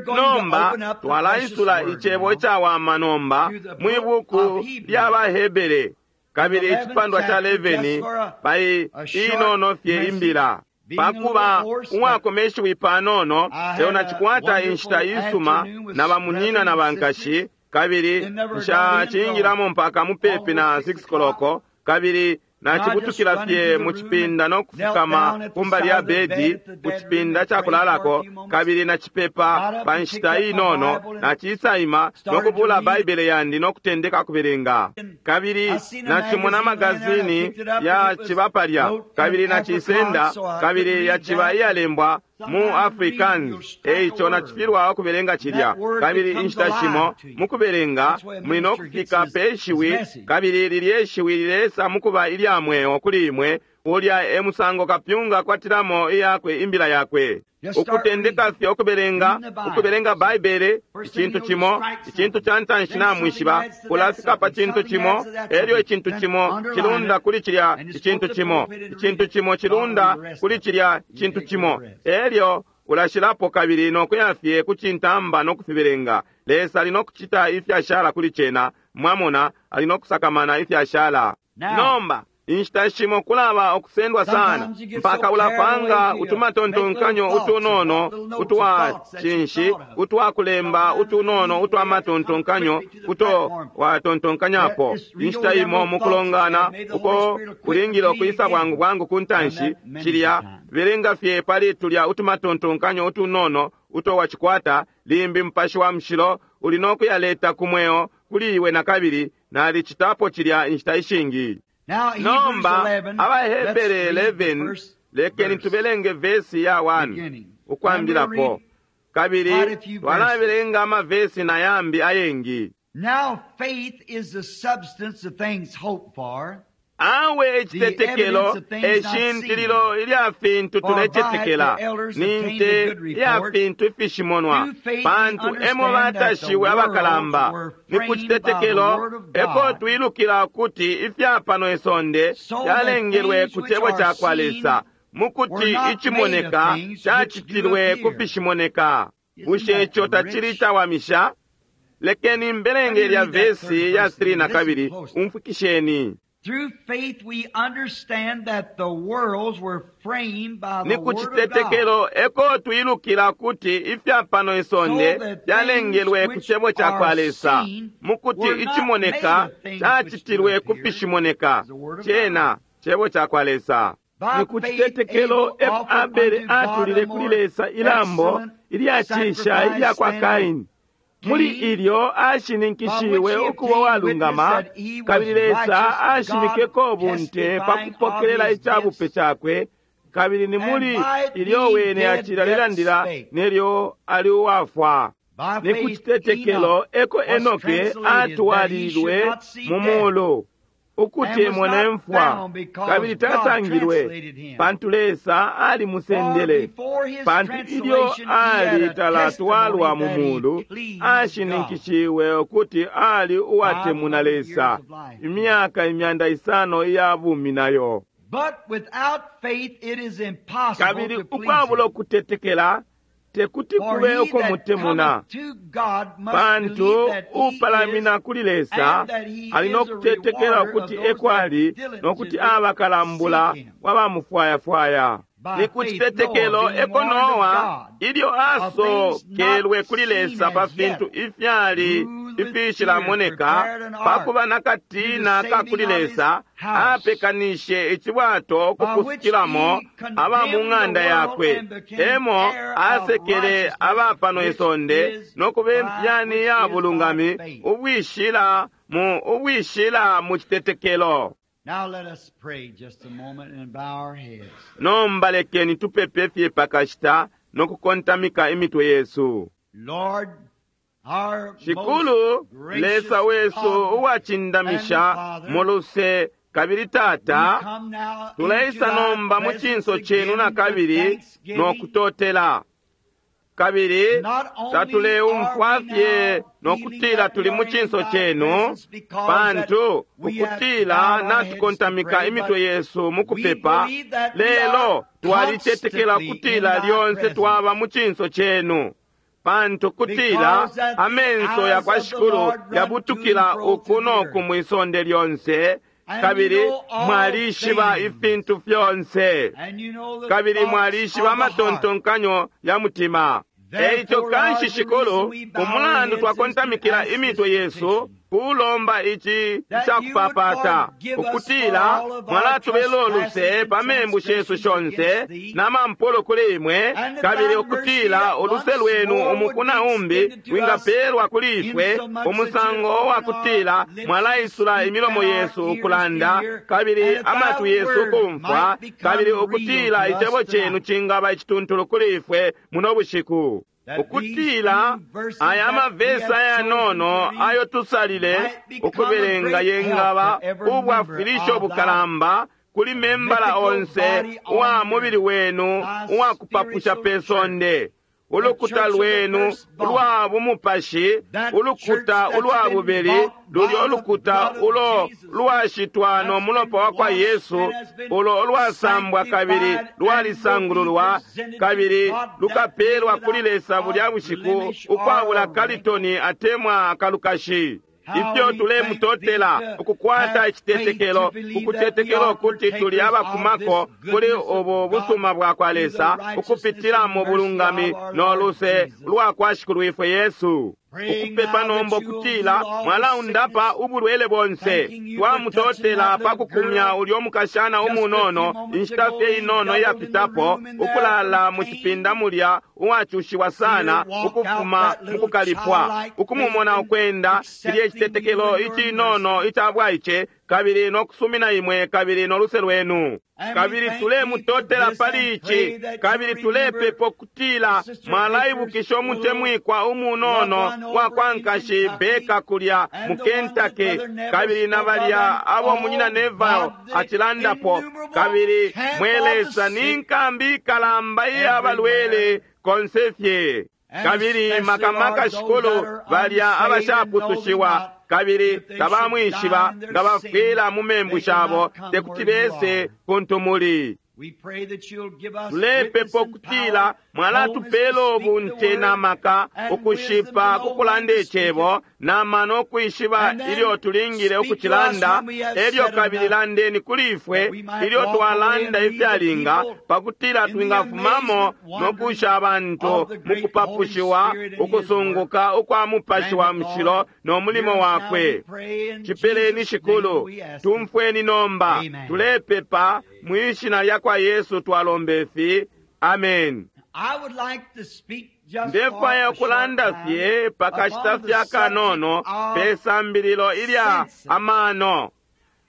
Nomba twalaisula icebo icawama nomba mwi buku lya baHebere kabili icipandwa ca eleveni pai inono fye imbila. Pakuba uwakomeshiwi panono, lelo nacikwata inshita isuma na bamunyina na bankashi, kabili nshacingilamo mpaka mupepi na six koloko, kabili nacibutukila fye mu cipinda no kufukama kumbali ya bedi ku cipinda ca kulalako, kabili nacipepa pa nshita inono, nacisaima no kubula Baibele yandi no kutendeka kubelenga. Kabili nacimona magazini ya ciba palya, kabili nacisenda, kabili yaciba iyalembwa mu Afrikaans, eico nacifilwa ukubelenga cilya. Kabili inshita shimo mukubelenga muli no kufika pe shiwi, kabili lilye shiwi lilesa mukuba ilya mweo kuli imwe. Ulya e musango kapyunga akwatilamo iyakwe imbila yakwe. Ukutendeka fye ukubelenga, ukubelenga Baibele, icintu cimo, icintu ca ntanshi namwishiba, ulafika pa cintu cimo, elyo icintu cimo cilunda kuli cilya icintu cimo, icintu cimo cilunda kuli cilya cintu cimo, elyo ulashilapo kabili nokuya fye ku cintamba no kufibelenga. Lesa ali no kucita ifyashala kuli cena, mwamona, ali no kusakamana ifyashala. Nomba inshita shimo kulaba okusendwa sana mpaka ulapanga utumatontonkanyo utunono utwa cinshi utwakulemba utunono utwa matontonkanyo uto watontonkanyapo. Inshita imo mukulongana uko ulingile ukwisa bwangu bwangu ku ntanshi, cilya belenga fye pali tulya utumatontonkanyo utunono uto wacikwata, limbi Mupashi wa Mushilo uli no kuyaleta ku mweo kuli iwe na kabili. Nalicitapo cilya inshita ishingi. Nomba abaHebere eleven, lekeni tubelenge vesi ya one ukwambilapo, kabili twalabelenga amavesi na yambi ayengi. Now faith is the substance of things hoped for. Awe icitetekelo eshintililo ilya fintu tulecetekela, ni nte ya fintu ifishimonwa, pantu emo batashiwe abakalamba. Ni ku citetekelo eko twilukila ukuti ifya pano isonde fyalengelwe ku cebo ca kwa Lesa, mukuti icimoneka cacitilwe ku fishimoneka. Bushe ico tacili cawamisha? Lekeni mbelenge lya vesi ya three na kabili, umfwikisheni. Through faith we understand that the worlds were framed by the Ni ku word of God. citetekelo eko twilukila kuti ifya pano isonde fyalengelwe ku cebo ca kwa Lesa, mukuti icimoneka cacitilwe ku fishimoneka. Cena cebo ca kwa Lesa. Ni ku citetekelo eko Abele atulile kuli Lesa ilambo ilyacisha ilya kwa Kaini. Muli ilyo ashininkishiwe ukuba walungama, kabili Lesa ashimikeko bunte pa kupokelela icabupe cakwe, kabili ni muli ilyo wene acila lilandila nelyo ali uwafwa. Ni ku citetekelo eko Enoke atwalilwe mu mulu ukuti emone mfwa, kabili tasangilwe, pantu Lesa alimusendele. Pantu ilyo ali talatwalwa mu mulu, ashininkishiwe ukuti ali uwatemuna Lesa imyaka imyanda isano iya bumi nayo. But without faith it is impossible Kabili to please ukwabula him. ukutetekela tekuti For kube he that ukumutemuna, cometh to God must pantu believe that he upalamina is, kuli Lesa and that he ali no is a kutetekela rewarder ukuti of those eko ali, that no kuti diligently abakalambula seek him. wabamufwayafwaya. By Ni ku faith citetekelo Noah, being eko warned of Noa God, ilyo of things asokelwe not kuli seen Lesa pa as yet, fintu ifyali moved with ifishilamoneka, fear, prepared an ark pakuba na katina to the ka kuli saving of his Lesa, house, apekanishe icibwato by which kupusukilamo he condemned aba mu the ng'anda world yakwe. and became Emo heir of asekele righteousness, aba pano which isonde is no kuba by impyani which ya is by bulungami faith. ubwishila mu ubwishila mu citetekelo. Now let us pray just a moment and bow our heads. Nomba lekeni tupepe fye pakashita no kukontamika imitwe yesu. Lord, our Shikulu most gracious Lesa wesu God uwacindamisha and Father, mu luse kabili we Tata, come now into tuleisa thy nomba mu presence cinso cenu again na with kabili thanksgiving, no kutotela. Kabili Not only tatuleumfwa are we fye now no feeling kutila that tuli we mu are in cinso thy chenu, presence because pantu that we have ukutila bowed our heads to natukontamika pray, imitwe but yesu mu we kupepa, believe that we lelo are twalicetekela constantly in ukutila thy lyonse presence. twaba mu cinso chenu. Pantu kutila Because that the amenso ya eyes kwa of the Shikulu Lord run yabutukila to and fro uku through the noku earth. mwisonde lyonse, And kabili you know all mwalishiba things. ifintu fyonse. And you know the Kabili thoughts mwalishiba of the heart. amatontonkanyo ya mutima. Therefore, Eico kanshi Lord, the Shikulu, reason we bow our umulandu heads is to twakontamikila ask this imitwe yesu petition, kulomba ici that you would cakupapata, forgive us for ukutila all of our mwalatubela trespasses uluse and pa membu shesu transgressions shonse against thee, na mampolo kuli imwe, and that kabili thy mercy ukutila that uluse once lwenu more would umuku be na umbi extended to us wingapelwa kuli ifwe, insomuch that you umusango open wa our kutila lips to mwalaisula speak imilomo and our yesu ears to ukulanda, hear, kabili and that thy amatwi yesu word ukumfwa, might become kabili real ukutila to us icebo chenu tonight. cingaba icituntulu kuli ifwe muno bushiku. That these Ukutila few verses aya that we mavesi have chosen to ayanono read ayo tusalile might become a ukubelenga great help yengaba to every member ubwafilisho of thy bukalamba kuli membala mythical onse body uwa on mubili earth, wenu thy uwakupapusha spiritual pe church, sonde. the Ulukuta church of the lwenu firstborn, ulwa bumupashi, that church ulukuta that's ulwa been bubili, bought lulyo by the ulukuta blood of ulo Jesus, lwashitwa no that's been mulopa wa kwa washed Yesu, and has been ulo ulwasambwa kabili sanctified and will be lwalisangululwa, presented to kabili God that day lukapelwa kuli without Lesa bulya a bushiku blemish or ukwabula a wrinkle. kalitoni atemwa akalukashi. How Ifyo we thank thee tulemutotela to ukukwata have faith to icitetekelo, believe that we ukucetekela are ukuti tuli partakers of abakumako this kuli goodness of ubu God busuma bwa kwa through the Lesa, righteousness ukupitila and mu mercy bulungami of our no Lord luse Jesus. lwa kwa Shikulwifwe Yesu. Praying Ukupepa now nomba that you will heal ukutila all the mwalaundapa sickness, ubulwele bonse. thanking you for touching Twamutotela that pa little kukumya girl ulyo mukashana just a few umunono moments inshita ago fye laying inono doubled in the iyapitapo room in there ukulala from mu pain. cipinda mulya uwacushiwa See her sana walk out ukufuma that mu little kukalipwa childlike faith ukumumona and ukwenda cilye accepting you citetekelo and your icinono mercy. ica bwaice kabili no kusumina imwe kabili no luse lwenu. And we Kabili thank thee for tulemutotela this pali and ici pray that you kabili remember tulepepa ukutila Sister Baker's mwalaibukisha little umutemwikwa loved umunono one wa over kwa in nkashi Kentucky Beka kulya and mu the one that Kentucky Brother Neville kabili na spoke of, balya and abo munyina oh Neville God, the acilandapo innumerable kabili camp mwe of the Lesa ni sick nkambi ikalamba iya everywhere, balwele konse fye. and Kabili especially, makamaka Lord, those that Shikulu are balya unsaved and know thee abashapusushiwa not, kabili if they should die tabamwishiba in their nga sin, bafwila mu membu they shabo cannot come te kuti where you bese are. kuntu muli. We pray that you'll give us witness Tulepepa and ukutila power, boldness to mwalatupela speak the ubunte na word, maka and wisdom to ukushipa know when kukulanda to speak it. icebo na mano ukwishiba And then ilyo tulingile speak to us ukucilanda when we have elyo said kabili enough, landeni kuli ifwe that we might ilyo walk away and twalanda leave the ifyalinga people pakutila in the twingafumamo amazement, no wondering kusha abantu of the mu great Holy kupapushiwa Spirit and His work. ukusunguka ukwa Mupashi Grant wa it, Mushilo Lord. no mulimo Hear us now, we wakwe. pray. In Cipeleni Jesus' name Shikulu, we ask it. tumfweni nomba, Amen. tulepepa mwishina lya kwa Yesu twalombe fi. Amen. I would like to speak just for Ndefwaya a short ukulanda time fye pakashita upon the fye subject akanono pe of sambililo ilya senses. amano.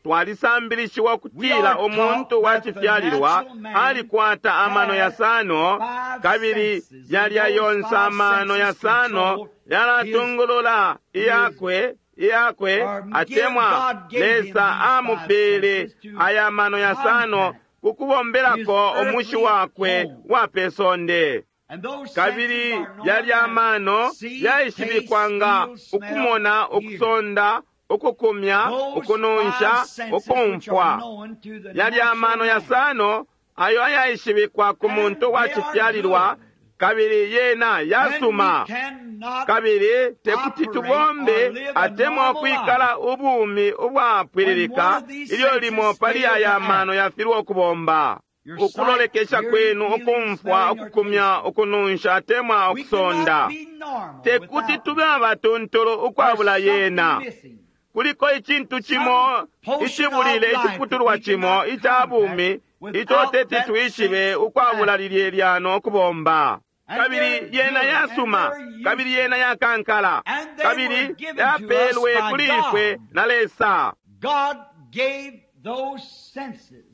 Twalisambilishiwa We ukutila are taught umuntu wa that the cifyalilwa natural man alikwata amano has yasano five kabili senses, and yalya those yonse five amano senses yasano control his yalatungulula his iyakwe iyakwe or give atemwa God gave him Lesa these five amupele senses to aya mano yasano contact his kukubombelako umushi earthly wakwe home. wa pe sonde. And those senses Kabili are known yalya as amano see, taste, yaishibikwa nga feel, smell, ukumona, hear. ukusonda, ukukumya, Those five ukununsha, senses which are ukumfwa. known to the Yalya natural amano man. yasano ayo ayaishibikwa ku And muntu wa they are cifyalilwa good. kabili yena And we yasuma. cannot Kabili tekuti operate or tubombe live a atemwa normal life ukwikala ubumi when one ubwapwililika of these ilyo limo senses pali fail to aya act. mano yafilwa ukubomba. Your sight, Ukulolekesha hearing, kwenu, feeling, ukumfwa, smelling, or ukukumya, tasting. ukununsha atemwa We ukusonda. cannot be normal Tekuti without tube them. abatuntulu There's ukwabula something yena. missing, Kuliko icintu some cimo portion of icibulile life that iciputulwa we cimo cannot ica contact bumi ico without teti that twishibe sense ukwabula acting. lilye lyano ukubomba. And Kabili they're yena good and yasuma, they're kabili useful. yena yakankala, And they were kabili given to us yapelwe by kuli ifwe God. na Lesa. God gave those senses.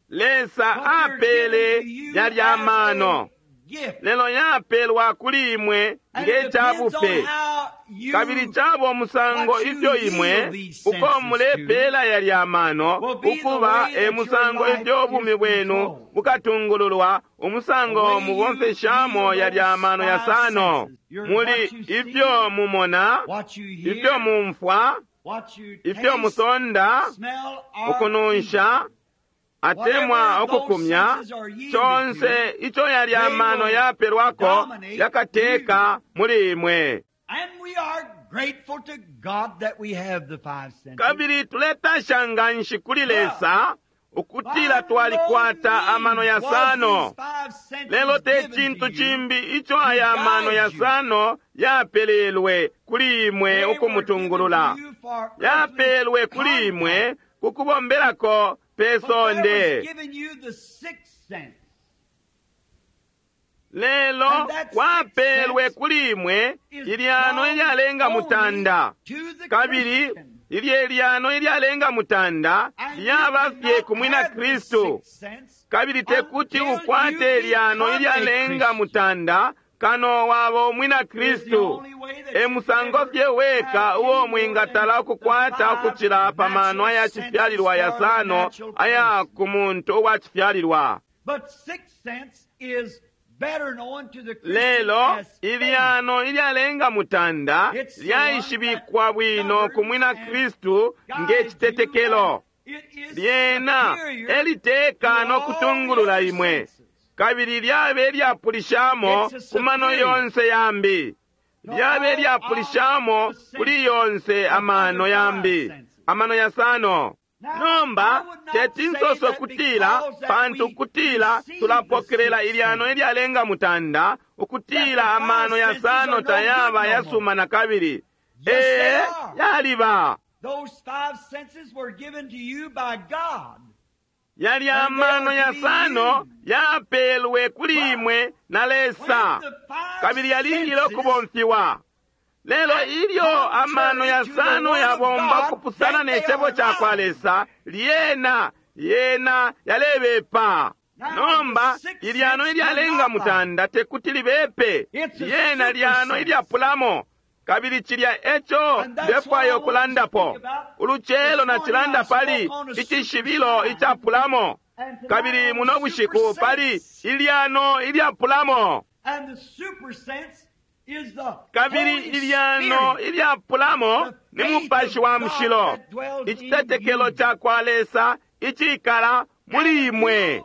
Lesa But they're given apele to you yalya as a amano. gift. Lelo yapelwa kuli imwe And nge it depends on cabupe. how you Kabili caba umusango what you ifyo yield imwe these uko senses mulepela yalya amano will be the ukuba way e that your musango life ifyo ubumi is bwenu controlled. bukatungululwa The umusango way you mubomfeshamo yield yalya those amano five yasano senses. Your- muli what you see, ifyo mumona what you ifyo hear, mumfwa what you ifyo taste, musonda smell, or ukununsha atemwa Whatever those ukukumya senses are yielded conse ico yalya they amano will yapelwako dominate yakateka muli imwe. And we are grateful to God that we have the five senses. Kabili tuletasha nga nshi kuli Lesa ukutila By twalikwata no amano means was yasano. these five senses Lelo te given cintu to you. cimbi ico aya amano yasano yapelelwe kuli imwe They were given ukumutungulula. to you for earthly Yapelwe kuli imwe contact. ku kubombelako pe But there was sonde. given you the sixth sense. Lelo And that kwapelwe sixth sense kuli imwe is ilyano drawn ilyalenga only mutanda. to the Kabili Christian. ilye lyano ilyalenga mutanda And you lyaba fye cannot ku mwina have the Kristu. sixth sense Kabili tekuti until ukwate you ilyano become a ilyalenga Christian. mutanda kano waba umwina It's the Kristu. only way that E you musango ever fye weka have uo any more mwingatala than the ukukwata five ukucila pa mano natural aya senses cifyalilwa for the yasano natural aya person. ku muntu uwa cifyalilwa. But sixth sense is better known to the Christian Lelo as faith. ilyano ilyalenga mutanda It's the one lyaishibikwa that bwino ku mwina governs and Kristu guides nge you, citetekelo. and it is Lyena superior eliteka to no all the kutungulula other imwe. senses. Kabili lyabe lyapulishamo It's a ku mano superior yonse yambi. to Lyabe all lyapulishamo of the kuli senses yonse of amano other five yambi. senses. Amano yasano. Now, Nomba I would not teti say nsoso that kutila because that pantu we kutila receive the tulapokelela sixth ilyano sense, ilyalenga mutanda that the ukutila five amano senses yasano are no good tayaba no more. yasuma na kabili. Yes, they Ee, are. yaliba. Those five senses were given to you by God, Yali and they amano are to be yasano used. yapelwe kuli But imwe na when Lesa the five kabili yalingile senses ukubomfiwa. Lelo act ilyo amano contrary to the yasano Word of yabomba God, ukupusana then ne they cebo are ca kwa lying. Lesa, lyena yena yalebepa. Now, the Nomba sixth ilyano sense ilyalenga cannot lie. mutanda tekuti libepe, It's a lyena super lyano sense. ilyapulamo. Kabili cilya eco And that's what I ndefwaya want to ukulandapo. speak about. Ulucelo This morning nacilanda I pali spoke on a super icishibilo sign. icapulamo. And tonight Kabili on a muno super bushiku pali sense. ilyano ilyapulamo. And the super sense is the Kabili Holy ilyano Spirit, ilyapulamo the ni faith mupashi of wa God mushilo, that dwells in icitetekelo you. ca kwa Lesa icikala muli And if imwe. you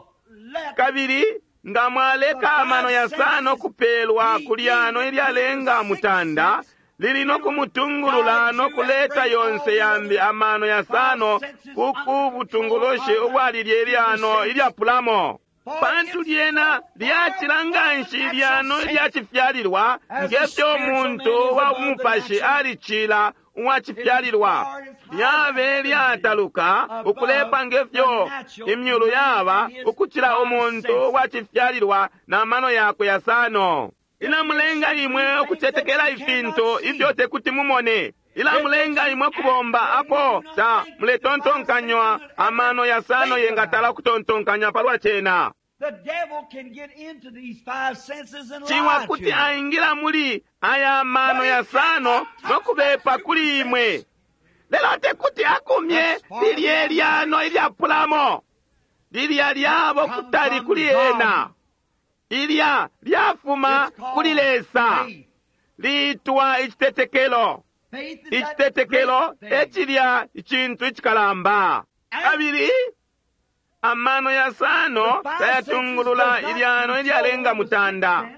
let Kabili nga the mwaleka amano five yasano senses kupelwa be ku lyano yielded to the ilyalenga sixth mutanda sense, lili no it'll kumutungulula guide no you and kuleta bring all yonse the yambi other amano five yasano senses ku under control butungulushi of that ubwa lilye super lyano sense. ilyapulamo. For Pantu it's lyena so far lyacila above nga the nshi natural ilyano sense ilyacifyalilwa as the ngefyo spiritual man umuntu is wa above the bumupashi natural. alicila uwa It is cifyalilwa. far as high as Lyabe heaven is lyataluka above ukulepa the ngefyo natural imyulu man yaba and his ukucila five umuntu wa senses. cifyalilwa na mano yakwe yasano. It makes Ilamulenga you do imwe things that ukucetekela you cannot ifintu ifyo see. tekuti mumone. It makes Ilamulenga you imwe act kubomba when you apo do not ta think the five senses muletontonkanywa would ever amano yasano think yengatala about. ukutontonkanya palwa cena. The devil can get into these five senses and Ciwa lie to kuti you. aingila muli aya mano But he yasano cannot no touch that kubepa super kuli imwe. sense. Lelo tekuti akumye That's far lilye beyond lyano ilyapulamo. Lilya that lyabo come kutali from kuli God. ena. Ilya lyafuma It's kuli called Lesa. faith. Litwa icitetekelo. Faith is that great Icitetekelo thing. ecilya icintu icikalamba. And Kabili amano the yasano five senses tayatungulula does not ilyano ilyalenga control the sixth mutanda. sense,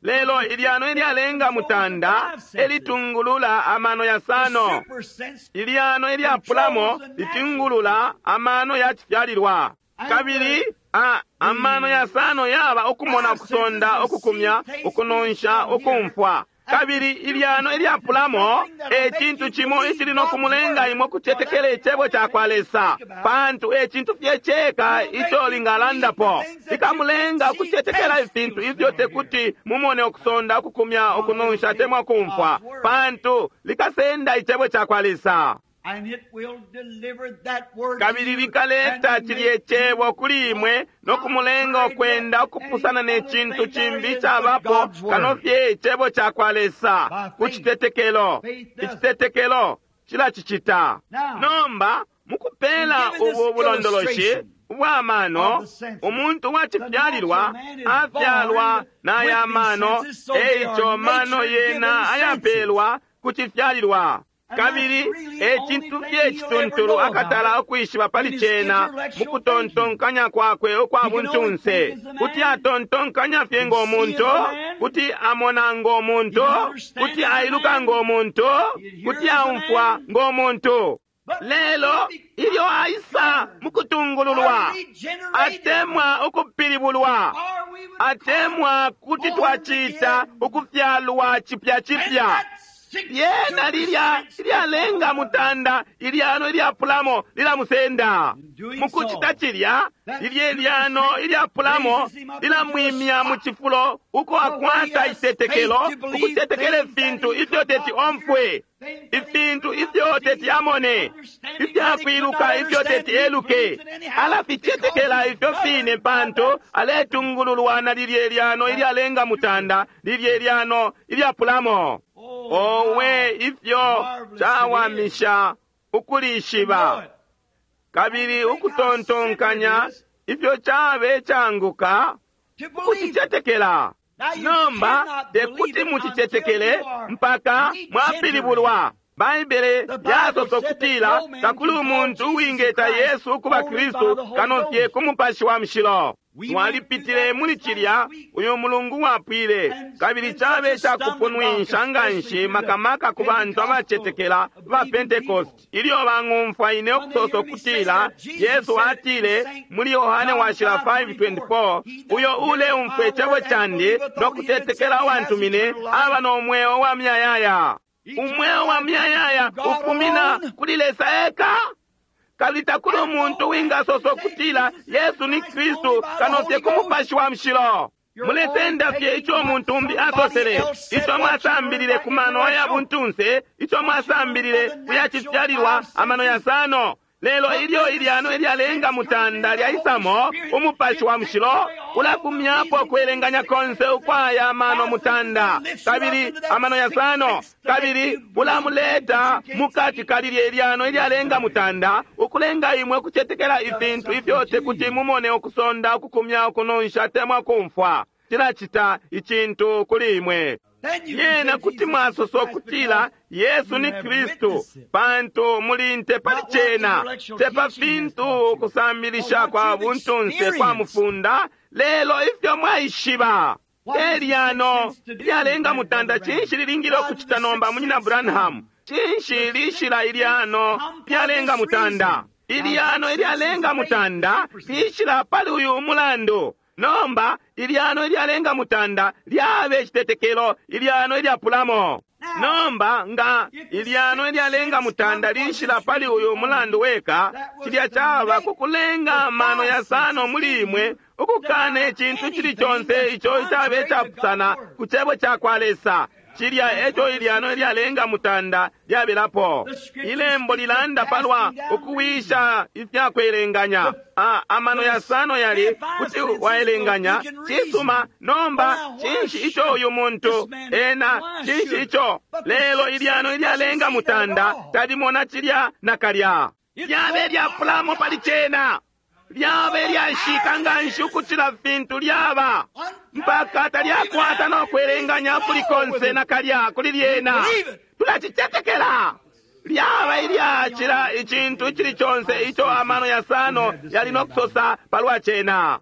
but Lelo the sixth ilyano sense ilyalenga controls the mutanda five senses. elitungulula amano The yasano. super sense Ilyano ilyapulamo controls the natural litungulula sense. amano ya cifyalilwa. And Kabili the a, amano the yasano yaba ukumona five senses ukusonda will see, ukukumya taste, feel, ukununsha smell, hear, ukumfwa. and the Kabili super ilyano sense is ilyapulamo something that'll e make cintu you cimo believe icili no God's kumulenga word. imwe For ukucetekela that's the icebo only ca kwa thing you Lesa. think about. Pantu e cintu fye ceka It'll make ico you believe the lingalandapo. things that you can't Likamulenga see, ukucetekela taste, ifintu feel, ifyo smell, hear. tekuti mumone ukusonda ukukumya Because it'll ukununsha take atemwa kumfwa. God's word. Pantu likasenda icebo ca kwa Lesa. Kabili likaleta cilye cebo kuli imwe no kumulenga ukwenda ukupusana ne cintu cimbi icabapo kano fye icebo cakwa Lesa ku citetekelo. Icitetekelo cilacicita. Nomba mukupela ubu bulondoloshi ubwa mano, umuntu wacifyalilwa afyalwa n'aya mano, eico mano yena ayapelwa ku cifyalilwa. Kabili e cintu fye cituntulu akatala ukwishiba pali cena mukutontonkanya kwakwe ukwa buntunse. Kuti atontonkanya fye ngo muntu, kuti amona ngo muntu, kuti ailuka ngo muntu, kuti aumfwa ngo muntu. Lelo ilyo aisa mukutungululwa, atemwa ukupilibulwa, atemwa kuti twacita ukufyalwa cipya cipya. Yena lilya ilyalenga mutanda ilyano ilyapulamo lilamusenda. Mukucita cilya, lilye lyano ilyapulamo lilamwimya mu cifulo uko akwata icitetekelo, ukutetekela ifintu ifyo teti omfwe, ifintu ifyo teti amone, ifyakwiluka ifyo teti eluke. Alaficetekela ifyo fine pantu aletungululwa na lilye lyano ilyalenga mutanda, lilye lyano ilyapulamo. Owe, ifyo cawamisha ukulishiba kabili ukutontonkanya ifyo cabe canguka ukucicetekela. Nomba tekuti mucicetekele mpaka mwapilibulwa. Baibele yasosa ukutila takuli umuntu uwingeta Yesu ukuba Kristu kano fye ku Mupashi wa Mushilo. Twalipitile muli cilya uyu mulungu wapwile, kabili cabe cakupunwisha nganshi makamaka ku bantu abacetekela ba Pentecost. Ilyo bang'umfwa ine ukusosa ukutila Yesu atile muli Yohane washila five twenty-four, uyo uleumfwa icebo candi no kutetekela uwantumine aba no mweo wa muyayaya. Umweo wa muyayaya ufumina kuli Lesa eka. Kabili takuli umuntu wingasosa ukutila Yesu ni Kristu kano fye ku Mupashi wa Mushilo. Mulesenda fye ico umuntu umbi asosele, ico mwasambilile ku mano ya buntunse, ico mwasambilile kuyacifyalilwa amano yasano. Lelo ilyo ilyano ilyalenga mutanda lyaisamo Umupashi wa Mushilo ulafumyapo kwelenganya konse ukwaya amano mutanda kabili amano yasano, kabili ulamuleta mukati kalilye ilyano ilyalenga mutanda ukulenga imwe ukucetekela ifintu ifyo tekuti mumone, ukusonda, ukukumya, ukunonsha temwa kumfwa. Cilacita icintu kuli imwe. Yena kuti mwasosa ukutila Yesu ni Kristu pantu muli nte pali cena, te pa fintu ukusambilisha kwa buntunse kwa mufunda, lelo ifyo mwaishiba. Elyano ilyalenga mutanda cinshi lilingile ukucita nomba, munyina Branham? Cinshi lishila ilyano lyalenga mutanda? Ilyano ilyalenga mutanda lishila pali uyu mulandu. Nomba ilyano ilyalenga mutanda lyabe citetekelo, ilyano ilyapulamo. Nomba nga ilyano ilyalenga mutanda lishila pali uyu mulandu weka, cilya caba kukulenga amano yasano muli imwe ukukana icintu cili conse ico icabe capusana ku cebo cakwa Lesa. Cilya eco ilyano ilyalenga mutanda lyabelapo. Ilembo lilanda palwa ukuwisha ifyakwelenganya. Ah, amano yasano yali kuti waelenganya cisuma. Nomba cinshi ico uyu muntu ena, cinshi ico? Lelo ilyano ilyalenga mutanda talimona cilya nakalya. Lyabe lyapulamo pali cena, lyabe lyashika nganshi ukucila fintu lyaba mpaka talyakwata no kwelenganya kuli konse nakalya kuli lyena. Tulacicetekela. Lyaba ilyacila icintu icili conse ico amano yasano yali no kusosa palwa cena.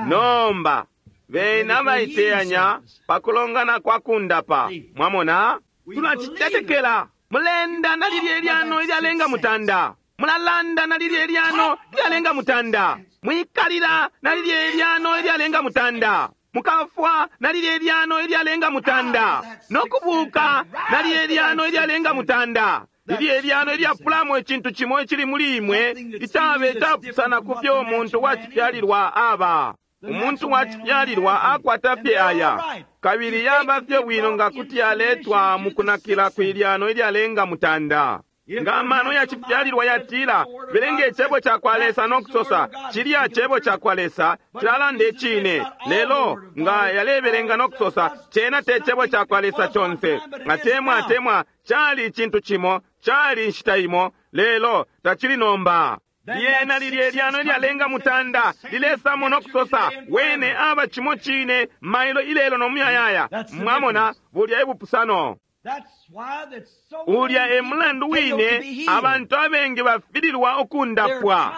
Nomba bena baiteyanya pakulongana kwa kundapa. Mwamona, tulacicetekela. Mulenda na lilye lyano ilyalenga mutanda, mulalanda na lilye lyano ilyalenga mutanda, mwikalila na lilye lyano ilyalenga mutanda, mukafwa na lilye lyano ilyalenga mutanda, nokubuka na lilye lyano ilyalenga mutanda. Lilye lyano ilyapulamo icintu cimo icili muli imwe icabe capusana ku fyo umuntu wacifyalilwa aba. Umuntu wacifyalilwa akwata fye aya, kabili yaba fye bwino nga kuti yaletwa mukunakila kwilyano ilyalenga mutanda. Nga amano ya cifyalilwa yatila belenge icebo cakwa Lesa no kusosa cilya cebo cakwa Lesa cilalanda icine, lelo nga yalebelenga no kusosa cena te cebo cakwa Lesa conse, atemwa atemwa cali icintu cimo, cali inshita imo, lelo tacili nomba. Lyena lilye lyano ilyalenga mutanda lilesamo no kusosa wene aba cimo cine mailo ilelo no muyayaya. Mwamona bulya ebupusano. Ulya e mulandu wine abantu abengi bafililwa ukundapwa,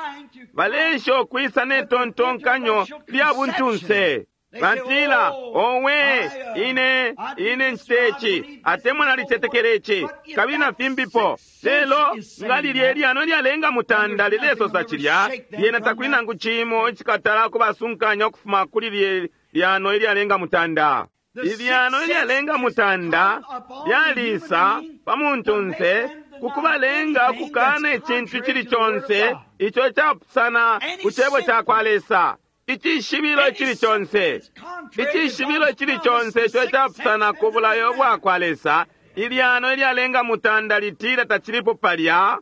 balesha ukwisa ne tontonkanyo lya buntunse. Batila, owe, ine ine ncite atemwa nalicetekele ici kabili na fimbipo. Lelo nga lilye lyano lyalenga mutanda lilesosa cilya, lyena takuli nangu cimo icikatala kubasunkanya ukufuma kuli lye lyano ilyalenga mutanda. Ilyano ilyalenga mutanda lyalisa pa muntunse kukubalenga ukukana icintu cili conse ico capusana ku cebo cakwa Lesa. Icishibilo cili conse, icishibilo cili conse ico capusana ku bulayo bwakwa Lesa, ilyano ilyalenga mutanda litila tacilipo palya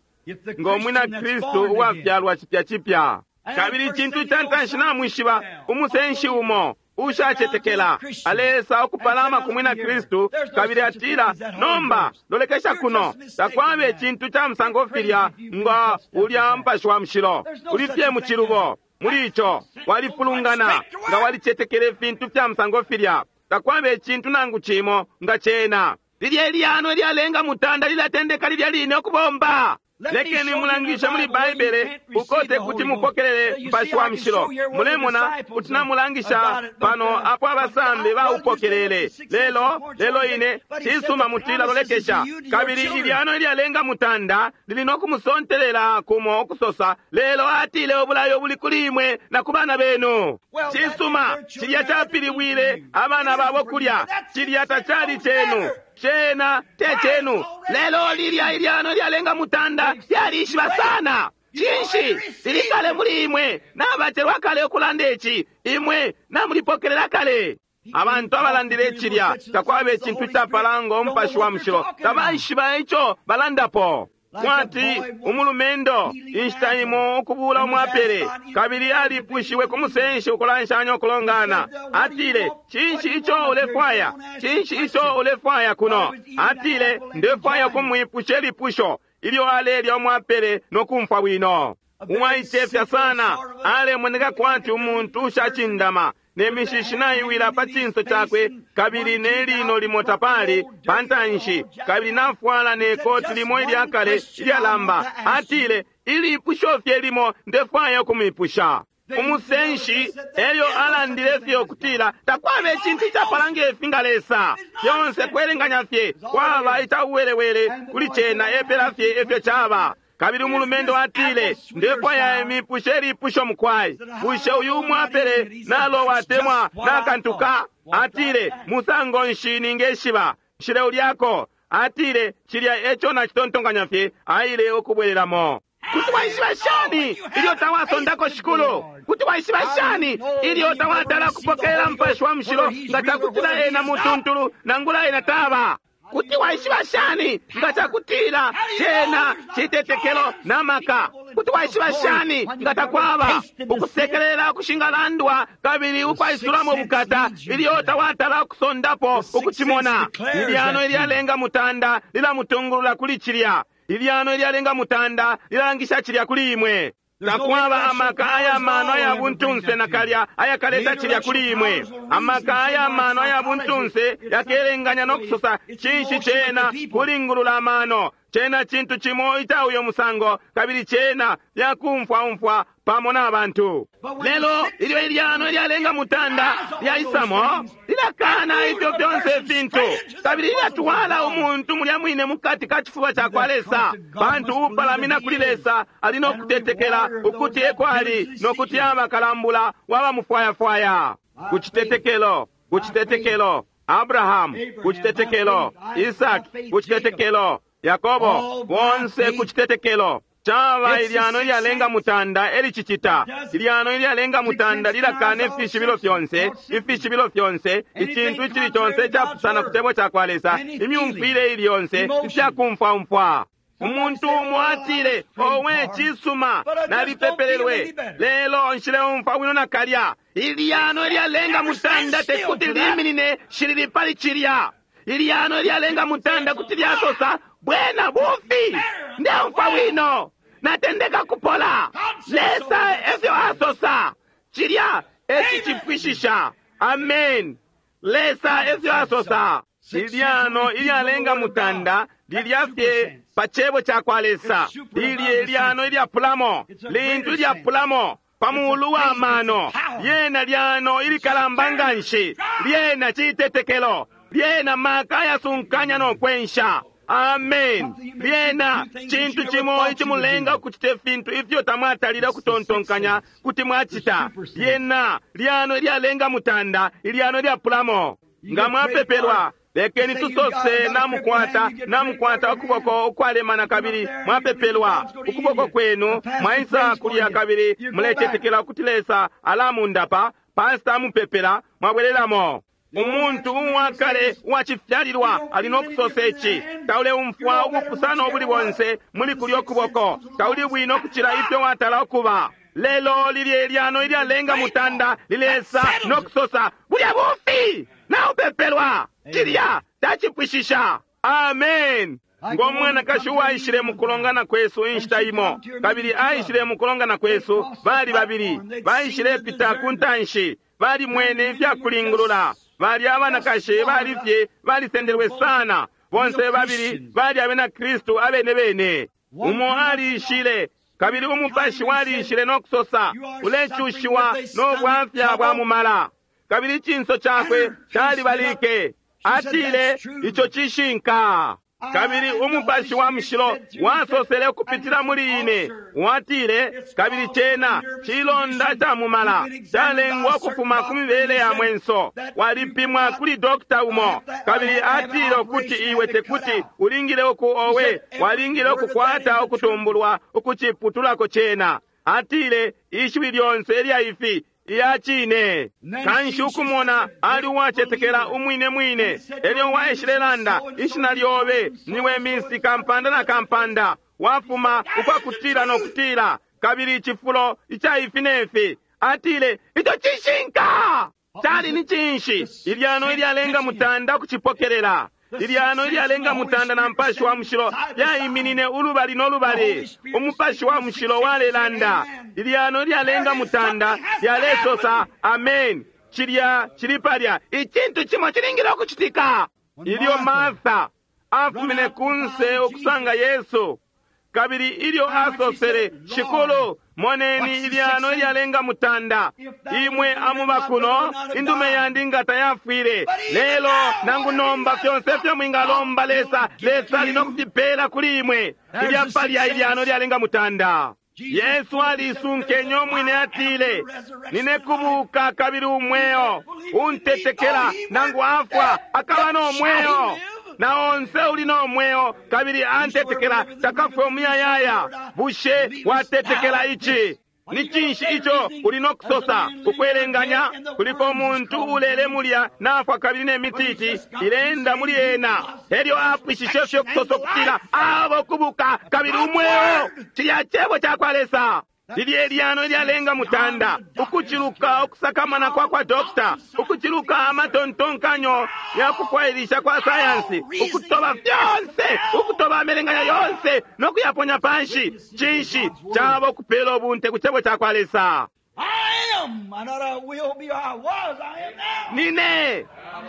ngo mwina Kristu uwafyalwa cipya cipya. Kabili icintu ca ntanshi namwishiba, umusenshi umo ushacetekela alesa ukupalama ku mwina Kristu kabili atila, nomba lolekesha kuno, takwaba icintu ca musango filya nga ulya Mupashi wa Mushilo, uli fye mu cilubo muli ico, walifulungana nga walicetekela ifintu fya musango filya, takwaba icintu nangu cimo nga cena. Lilye lyano ilyalenga mutanda lilatendeka lilya line ukubomba. Lekeni mulangishe muli Baibele ukote kuti mupokelele Mupashi wa Mushilo. Mulemona kuti namulangisha pano apo abasambi baupokelele. Lelo lelo ine cisuma mutila lolekesha, kabili ilyano ilyalenga mutanda lili no kumusontelela kumo ukusosa, lelo atile ubulayo buli kuli imwe na ku bana benu. Cisuma cilya capilibwile abana babo kulya, cilya tacali cenu, cena te cenu. Lelo lilya ilyano ilyalenga mutanda lyalishiba sana. Cinshi lilikale muli imwe, nabacelwa kale ukulanda ici, imwe namulipokelela kale. Abantu abalandile cilya takwaba icintu capala ngo Mupashi wa Mushilo, tabaishiba ico balandapo. Kwati umulumendo inshita imo ukubula umwapele, kabili alipushiwe ku musenshi ukulanshanya ukulongana. Atile, cinshi ico ulefwaya? Cinshi ico ulefwaya kuno? Atile, ndefwaya kumwipusha ilipusho ilyo alelya umwapele no kumfwa bwino. Uwaicefya sana, alemoneka kwati umuntu ushacindama, ne mishishi naiwila pa cinso cakwe, kabili ne lino limo tapali pa ntanshi, kabili nafwala ne koti limo ilyakale ilyalamba. Atile, ilipusho fye limo ndefwaya ukumwipusha. Umusenshi elyo alandile fye ukutila takwaba icintu icapala ngefi nga Lesa, fyonse kwelenganya fye kwaba icauwelewele kuli cena, epela fye efyo caba. Kabili umulumendo atile, ndefwaya imipushe ilipusho mukwai, bushe uyu umwapele nalowa atemwa nakantuka? Atile, musango nshi ningeshiba nshile ulyako? Atile, cilya eco nacitontonkanya fye, aile ukubwelelamo. Kuti waishiba shani ilyo tawasondako Shikulu? Kuti waishiba shani ilyo tawatala kupokelela Mupashi wa Mushilo nga cakutila ena mutuntulu nangula ena taba? Kuti waishiba shani nga cakutila cena citetekelo na maka? Kuti waishiba shani nga takwaba ukusekelela ukushingalandwa kabili ukwaisulamo bukata ilyo tawatala ukusondapo ukucimona? Ilyano ilyalenga mutanda lilamutungulula kuli cilya. Ilyano ilyalenga mutanda lilangisha cilya kuli imwe. Takwaba amaka aya mano aya buntunse nakalya ayakaleta cilya kuli imwe. Amaka aya mano aya buntunse yakelenganya no kusosa cinshi cena kulingulula amano. Cena cintu cimo ica uyo musango, kabili cena lyakumfwaumfwa pamo n'abantu. Lelo ilyo ilyano ilyalenga mutanda lyaisamo, lilakana ifyo fyonse ifintu, kabili lilatwala umuntu mulya mwine mukati ka cifuba cakwa Lesa. Pantu upalamina kuli Lesa ali no kutetekela ukuti eko ali, no kuti aba kalambula wabamufwayafwaya. Ku citetekelo, ku citetekelo Abrahamu, ku citetekelo Isaki, ku citetekelo Yakobo, bonse ku citetekelo. Caba ilyano ilyalenga mutanda elicicita. Ilyano ilyalenga mutanda lilakana ifishibilo fyonse, ifishibilo fyonse, icintu icili conse icapusana ku cebo cakwa Lesa, imyumfwile ili yonse, ifyakumfwaumfwa. Umuntu umo atile, owe cisuma, nalipepelelwe, lelo nshileumfwa bwino nakalya. Ilyano ilyalenga mutanda tekuti liminine shilili pali cilya. Ilyano ilyalenga mutanda kuti lyasosa, bwena bufi, ndeumfwa bwino, natendeka kupola. Lesa efyo asosa, cilya ecicipwishisha. Amen. Lesa efyo asosa. Ilyano ilyalenga mutanda lilya fye pa cebo cakwa Lesa. Lilye ilyano ilyapulamo, lintu ilyapulamo pa mulu wa mano. Lyena lyano ilikalamba nganshi, lyena citetekelo, lyena maka ayasunkanya no kwensha. Amen. Lyena cintu cimo icimulenga ukucita ifintu ifyo tamwatalile ukutontonkanya kuti mwacita. Lyena lyano ilyalenga mutanda, ilyano ilyapulamo. Nga mwapepelwa, lekeni tusose namukwata namukwata ukuboko ukwalemana kabili mwapepelwa ukuboko kwenu, mwaisa kulya kabili mulecetekela ukuti Lesa alamundapa. Pasita amupepela, mwabwelelamo. Umuntu uwakale uwacifyalilwa ali no kusosa ici, tauleumfwa ubupusano ubuli bonse muli kulyo kuboko, tauli bwino kucila ifyo watala ukuba. Lelo lilye ilyano ilyalenga mutanda lilesa no kusosa, bulya bufi naupepelwa, cilya tacipwishisha. Amen. Ngo mwanakashi uwaishile mukulongana kwesu inshita imo, kabili aishile mukulongana kwesu, bali babili baishile pita ku ntanshi, balimwene ifyakulingulula. Bali abanakashi bali fye balisendelwe sana, bonse babili bali abena Kristu abene bene. Umo aliishile kabili umupashi waliishile no kusosa, ulecushiwa no bwafya bwa mumala, kabili icinso cakwe calibalike. Atile, ico cishinka. Kabili umupashi wa mushilo wasosele ukupitila muli ine, watile, kabili cena cilonda ca mumala calengwa ukufuma ku mibele ya mwenso, walipimwa kuli dokta umo, kabili atile ukuti iwe tekuti ulingile uku owe walingile ukukwata ukutumbulwa ukuciputulako cena. Atile, ishiwi lyonse lya ifi iya cine. Kanshi ukumona ali uwacetekela umwine mwine. Elyo waishilelanda, ishina lyobe niwe misi kampanda na kampanda, wafuma ukwakutila no kutila, kabili icifulo ica ifi nefi. Atile, ico cishinka. Cali ni cinshi? Ilyano ilyalenga mutanda ukucipokelela. Ilyano ilyalenga mutanda na mupashi wa mushilo lyaiminine ulubali no lubali. Umupashi wa mushilo walelanda. Ilyano ilyalenga mutanda lyalesosa amen. Cilya cili palya. Icintu cimo cilingile ukucitika. Ilyo Martha afumine kunse ukusanga Yesu, kabili ilyo asosele, Shikulu, moneni ilyano ilyalenga mutanda, imwe amuba kuno, indume yandi nga tayafwile. Lelo nangu nomba fyonse fyo mwingalomba Lesa, Lesa ali no kufipela kuli imwe. Ilya palya ilyano ilyalenga mutanda. Yesu alisunkenye umwine, atile, nine kubuka kabili umweo, untetekela nangu afwa akaba no mweo, na onse uli no mweo kabili antetekela takafwe umuyayaya. Bushe watetekela ici? Ni cinshi ico uli no kusosa? Ukwelenganya kuliko umuntu ulele mulya nafwa kabili ne mititi ilenda muli ena, elyo apwishishe fyo kusosa ukutila abo kubuka kabili umweo. Cilya cebo cakwa Lesa. Lilye lyano ilyalenga mutanda ukuciluka ukusakamana kwa kwa dokta, ukuciluka amatontonkanyo ya kufwailisha kwa sayansi, ukutoba fyonse, ukutoba amelenganya yonse no kuyaponya panshi. Cinshi caba ukupela ubunte ku cebo ca kwa Lesa? I am, not I will be, I was, I am now. Nine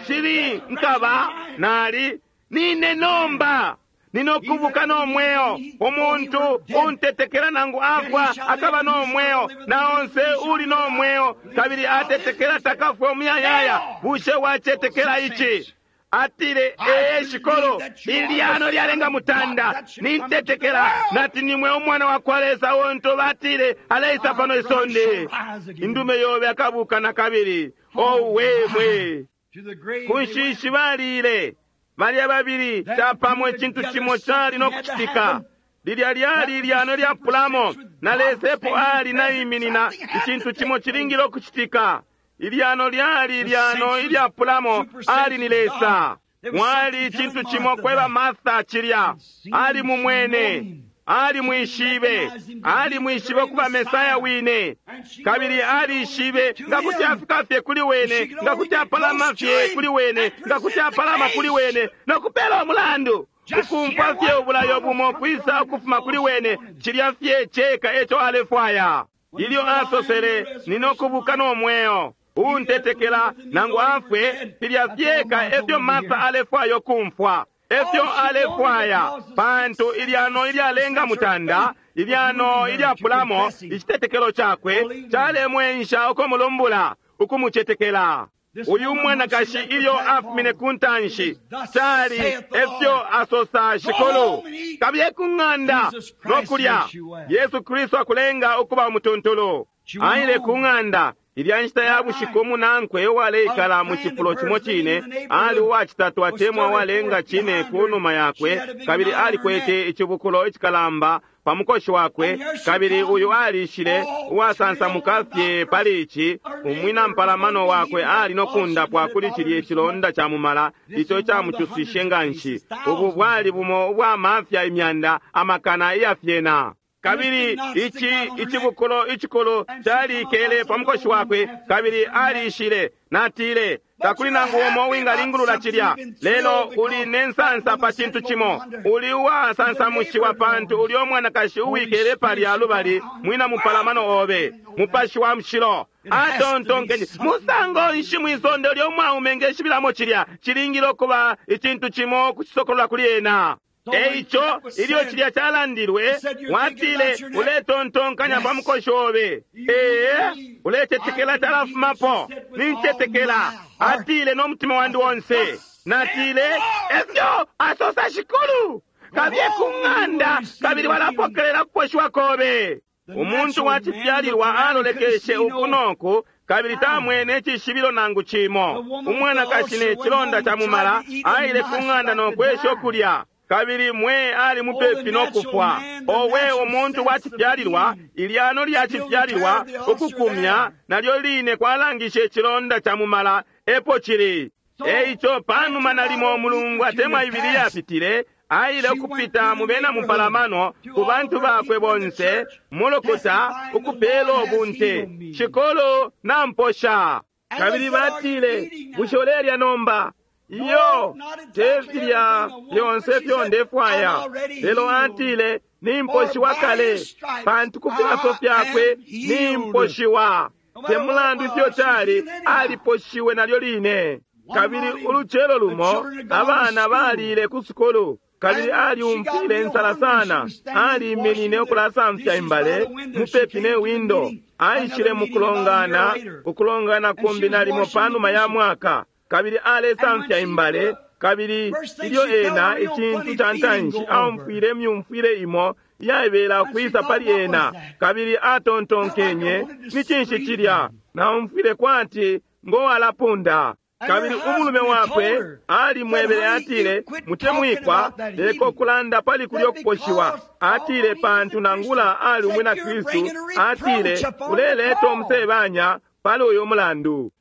shili nkaba nali nine nomba ninokubuka no mweo. Umuntu untetekela nangu afwa akaba no mweo, na onse uli no mweo kabili atetekela takafwe umuyayaya. Bushe wacetekela ici? Atile, ee Shikolo, ilyano lyalenga mutanda, nintetekela nati nimwe umwana wa kwa Lesa untu batile aleisa pano isonde. Indume yobe akabuka na kabili. Owe mwe! To the grave Ku they went. nshishi balile balya babili capamo icintu cimo cali no kucitika. Lilya lyali ilyano lyapulamo, na Lesa epo ali naiminina, icintu cimo cilingile ukucitika. Ilyano lyali ilyano ilyapulamo, ali ni Lesa. Mwali icintu cimo kweba Martha cilya. Ali mumwene, ali mwishibe, ali mwishibe ukuba Mesaya wine, kabili alishibe nga kuti afika fye kuli wene, nga kuti apalama fye kuli wene, nga kuti apalama kuli wene no kupela umulandu ukumfwa fye ubulayo bumo kwisa ukufuma kuli wene, cilya fye ceka eco alefwaya. Ilyo asosele, ninokubuka no mweo, uuntetekela nangu afwe, filya fyeka efyo Martha alefwaya ukumfwa, efyo alefwaya, pantu ilyano ilyalenga mutanda, ilyano ilyapulamo icitetekelo cakwe calemwensha ukumulumbula, ukumucetekela. Uyu mwanakashi ilyo afumine ku ntanshi cali efyo asosa Shikulu, kabiye ku ng'anda no kulya, Yesu Kristu akulenga ukuba umutuntulu. Aile ku ng'anda ilya nshita ya bushiku umunankwe uwaleikala mu cifulo cimo cine ali uwacitatu atemwa uwalenga cine ku numa yakwe, kabili alikwete icibukulo icikalamba pa mukoshi wakwe, kabili uyu alishile uwasansamuka fye pali ici. Umwina mpalamano wakwe ali no kundapwa kuli cilye cilonda ca mumala ico camucuswishe nga nshi. Ubu bwali bumo ubwa mafya imyanda amakana iyafyena. Kabili ici icibukulo icikulu calikele pa mukoshi wakwe, kabili alishile. Natile, takuli nangu umo uwingalingulula cilya, lelo uli ne nsansa pa cintu cimo. Uli uwasansamushiwa pantu uli umwanakashi uwikele palya lubali mwina mupalamano obe. Mupashi wa Mushilo atontonkenye, musango nshi mwisonde ulya umwaume ngeshibilamo cilya? Cilingile ukuba icintu cimo kucisokolola kuli ena. Eico ilyo cilya calandilwe, watile, uletontonkanya pa mukoshi obe. Ee, ulecetekela talafumapo. Nincetekela, atile no mutima wandi onse. Natile, efyo asosa Shikulu, kabiye ku ng'anda kabili walapokelela kuposhiwa kobe. Umuntu wa cifyalilwa alolekeshe uku noku, kabili tamwene icishibilo nangu cimo. Umwanakashi ne cilonda ca mumala aile ku ng'anda no kwesha ukulya, kabili mwe ali mupepi no kufwa. Owe, umuntu wa cifyalilwa, ilyano lya cifyalilwa ukukumya nalyo line kwalangisha icilonda ca mumala epo cili. Eico panuma nalimo umulungu atemwa ibili yapitile, aile ukupita mu bena mupalamano ku bantu bakwe bonse mulukuta ukupela ubunte, Shikulu namposha. Kabili batile, bushe ulelya nomba? Iyo, te filya fyonse fyo ndefwaya. Lelo atile, nimposhiwa kale, pantu ku filaso fyakwe nimposhiwa. Te mulandu ifyo cali, aliposhiwe nalyo line. Kabili ulucelo lumo abana balile ku sukulu, kabili aliumfwile insala sana. Aliminine ukulasamfya imbale mupepi ne windo. Aishile mu kulongana, ukulongana kumbi nalimo panuma ya mwaka, kabili alesamfya imbale. Kabili ilyo ena icintu ca ntanshi aumfwile myumfwile imo yaibela ukwisa pali ena, kabili atontonkenye, ni cinshi cilya? Naumfwile kwati ngowalapunda. Kabili umulume wakwe alimwebele, atile, mutemwikwa, leko kulanda pali kulyo kuposhiwa. Atile, pantu nangula ali umwina Kristu, atile, uleleta umusebanya pali uyo mulandu.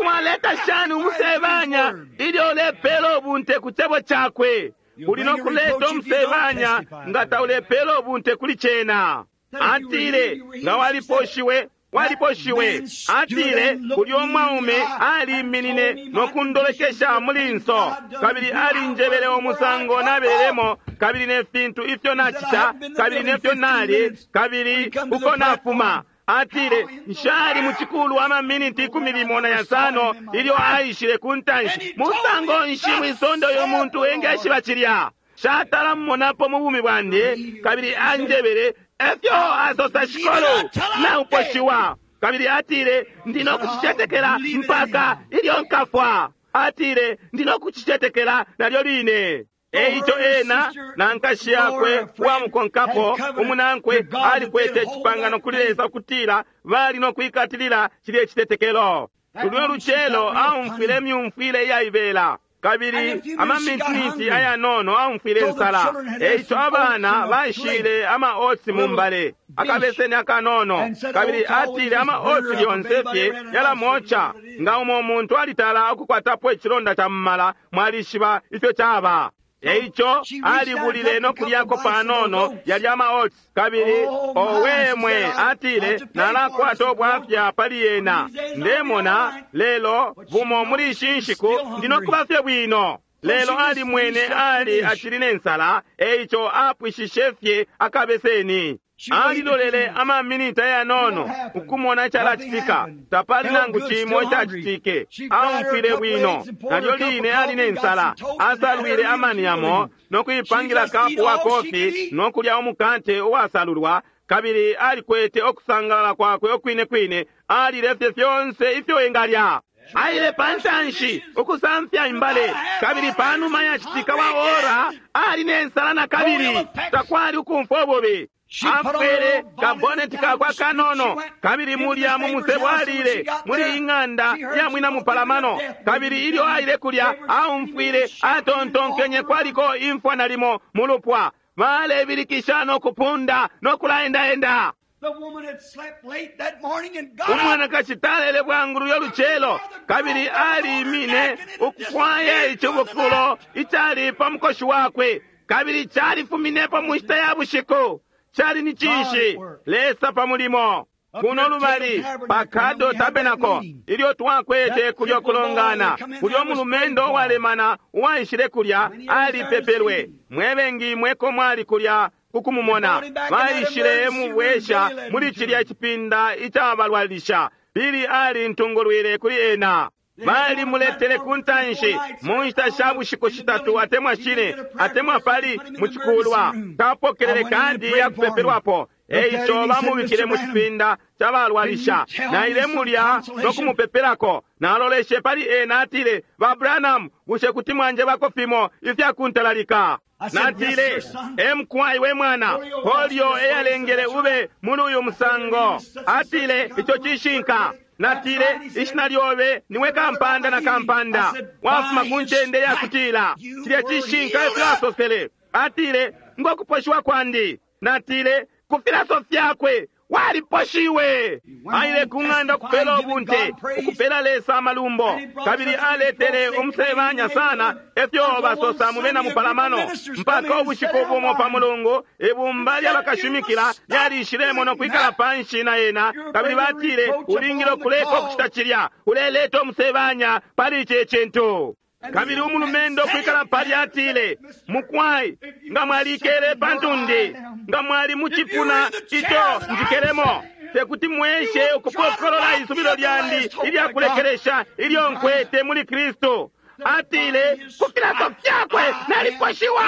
Waleta shani umusebanya ilyo ulepela ubunte ku cebo cakwe? Uli no kuleta umusebanya nga taulepela ubunte kuli cena. Atile, nga waliposhiwe, waliposhiwe. Atile, ulya umwaume aliminine no kundolekesha mulinso, kabili alinjebele umusango nabelemo, kabili ne fintu ifyo nacita, kabili nefyo nali, kabili uko nafuma. Atile, nshali mucikulu amaminiti ikumi limo na yasano ilyo aishile ku ntanshi. Musango nshi mwisonde uyo muntu engeshiba cilya? Shatala mmonapo mu bumi bwandi. Kabili anjebele efyo asosa Shikulu, nauposhiwa. Kabili atile, ndi no kucicetekela mpaka ilyo nkafwa. Atile, ndi no kucicetekela nalyo line. Eico ena na nkashi yakwe uwamukonkapo umunankwe alikwete icipangano kuli Lesa ukutila bali no kwikatilila cilye citetekelo. Lulyo lucelo aumfwile myumfwile iyaibela. Kabili amaminiti ayanono aumfwile nsala, eico abana baishile ama oats mu mbale, akabeseni akanono. Kabili atile ama oats lyonse fye yalamoca. Nga umo muntu alitala ukukwatapo icilonda ca mumala, mwalishiba ifyo caba. Eico alibulile no kulyako panono yalya ama oats. Kabili owemwe atile, nalakwata ubwafya pali yena, ndemona lelo bumo muli ishi nshiku ndinokuba fye bwino. Lelo alimwene ali acili ne nsala, eico apwishishe fye akabeseni. Alilolele amaminiti ayanono ukumona icalacitika. Tapali nangu cimo icacitike. Aumfwile bwino. Nalyo line ali ne nsala. Asalwile amani yamo no kuipangila kapu wa kofi no kulya umukate uwasalulwa. Kabili alikwete okusangalala kwakwe okwine kwine. Alile fye fyonse ifyo engalya. Aile pantanshi ukusamfya imbale. Kabili panuma yacitika wa ora ali ne nsala na kabili. Takwali ukumfwa ububi. Afwele kaboneti kakwa kanono, kabili mulya mu musebo alile muli ing'anda ya mwina mupalamano. Kabili ilyo aile kulya aumfwile atontonkenye kwaliko imfwa nalimo mu lupwa. Balebilikisha no kupunda no kulaendaenda. Umwanakashi talele bwangu luyo lucelo, kabili alimine ukufwaya icibukulo icali pa mukoshi wakwe, kabili califuminepo mu nshita ya bushiku. Cali ni cinshi? Lesa pa mulimo. Kuno lubali pa Kado Tabernacle, ilyo twakwete kulyo kulongana, kulyo mulumendo uwalemana uwaishile kulya alipepelwe. Mwebengi mweko mwali kulya kukumumona. Baishile mubwesha muli cilya cipinda icabalwalisha. Bili ali ntungulwile kuli ena. Balimuletele ku ntanshi mu nshita sha bushiku shitatu atemwa shine atemwa pali mu cikulwa. Tapokelele kandi ya kupepelwapo, eico bamubikile mu cipinda cabalwalisha. Naile mulya no kumupepelako. Naloleshe pali ena, atile, ba Branham, bushe kuti mwanjebako fimo ifyakuntalalika? Natile, emkwai we mwana, polio eyalengele ube muli uyu musango. Atile, ico cishinka. Natile, ishina lyobe niwe kampanda na kampanda, wafuma ku ncende yakutila. Cilya cishinka efyo asosele. Atile, ngokuposhiwa kwandi. Natile, ku filaso fyakwe waliposhiwe. Aile ku ng'anda ukupela ubunte, ukupela Lesa amalumbo. Kabili aletele umusebanya sana efyo basosa mu bena mupalamano, mpaka ubushiku bumo pa Mulungu ibumba lyabakashimikila lyalishilemo no kwikala panshi na ena. Kabili batile, ulingile ukuleka ukucita cilya, uleleta umusebanya pali ici cintu. Kabili umulumendo kwikala pali atile, mukwai, nga mwalikele pantundi, nga mwali mucipuna ico njikelemo, tekuti mweshe ukupokolola isubilo lyandi ilyakulekelesha ilyo nkwete muli Kristu. Atile, ku filaso fyakwe naliposhiwa.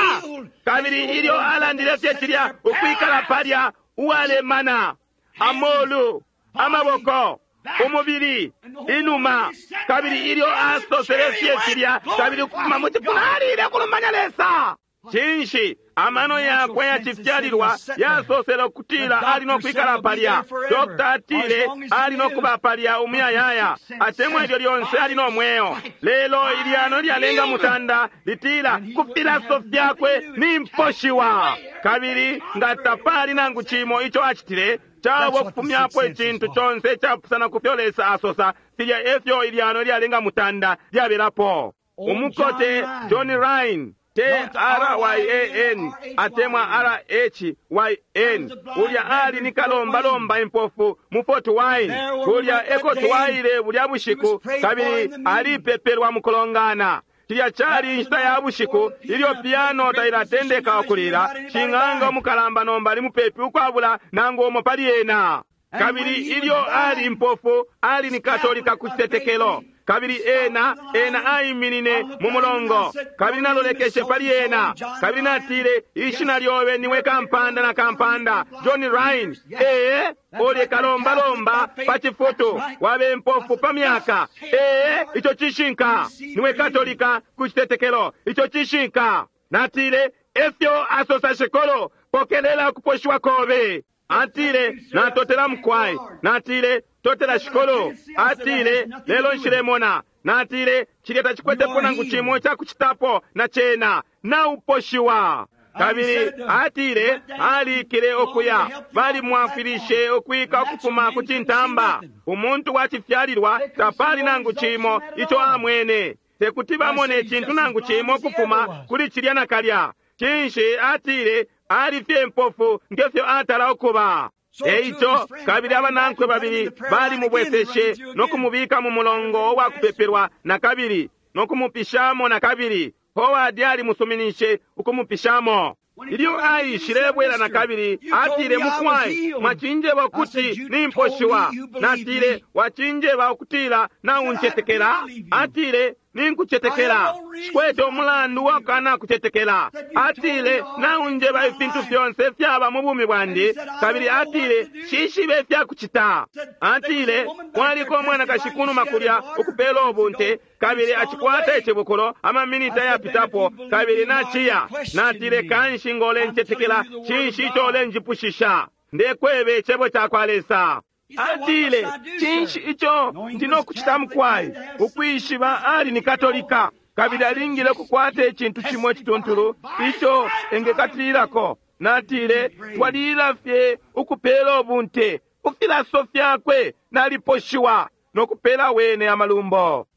Kabili ilyo alandile fye cilya, ukwikala palya uwalemana amolu, amaboko, umubili, inuma. Kabili ilyo asosele fye cilya, kabili ukufuma mu cipuna alile kulumanya Lesa. Cinshi? Amano yakwe yacifyalilwa yasosele ukutila ali no kwikala palya. Dokta atile ali no kuba palya umuyayaya, atemwa ilyo lyonse ali no mweo. Lelo ilyano lyalenga mutanda litila ku filaso fyakwe nimposhiwa. Kabili nga tapali nangu cimo ico acitile, cabo kufumyapo icintu conse icapusana ku fyo Lesa asosa. Filya efyo ilyano lyalenga mutanda lyabelapo. Umukote John Rhyn, T R Y A N atemwa R H Y N, ulya ali ni kalombalomba impofu mu Fort Wayne. Kulya eko twaile bulya bushiku, kabili alipepelwa mu kulongana. Cilya cali inshita ya bushiku ilyo piano tailatendeka ukulila. Shing'anga umukalamba nomba ali mupepi ukwabula nangu umo pali ena. Kabili ilyo ali impofu, ali ni Katolika ku citetekelo. Kabili ena ena aiminine mu mulongo. Kabili nalolekeshe pali ena. Kabili natile, ishina lyobe niwe kampanda na kampanda, John Rhyn. Ee, ulye kalombalomba pa cifutu, wabe mpofu pa myaka. Ee, ico cishinka. Niwe Katolika ku citetekelo, ico cishinka. Natile, efyo asosa shikolo, pokelela ukuposhiwa kobe. Atile, natotela mukwai. Natile, totela shikolo. Atile, lelo nshilemona. Natile, cilya tacikwetepo nangu cimo icakucitapo na cena. Nauposhiwa. Kabili atile alikile okuya, balimwafwilishe ukwika ukufuma ku cintamba. Umuntu wa cifyalilwa tapali nangu cimo ico amwene, tekuti bamone icintu nangu cimo ukufuma kuli cilya nakalya. Cinshi? Atile ali fye mpofu ngefyo atala ukuba. Eico kabili abanankwe babili balimubweseshe no kumubika mu mulongo wa kupepelwa na kabili no kumupishamo na kabili. Howard alimusuminishe ukumupishamo. Ilyo aishilebwela na kabili, atile, mukwai, mwacinjeba ukuti nimposhiwa. Natile, wacinjeba ukutila nauncetekela. Atile, ninkucetekela, shikwete umulandu wakana kucetekela. Atile, naunjeba ifintu fyonse fyaba mu bumi bwandi. Kabili atile, shishibe ifyakucita. Atile, kwaliko umwanakashi kunuma kulya ukupela ubunte, kabili acikwata icibukulo amaminita yapitapo, kabili naciya. Natile, kanshi ngolencetekela, cinshi ico ulenjipushisha? Ndekwebe icebo cakwa Lesa. Atile, cinshi ico ndinokucita mukwai? Ukwishiba ali ni Katolika, kabili alingile ukukwata icintu cimo icituntulu ico engekatililako. Natile, twalila fye ukupela ubunte kufilaso fyakwe, naliposhiwa nokupela wene amalumbo.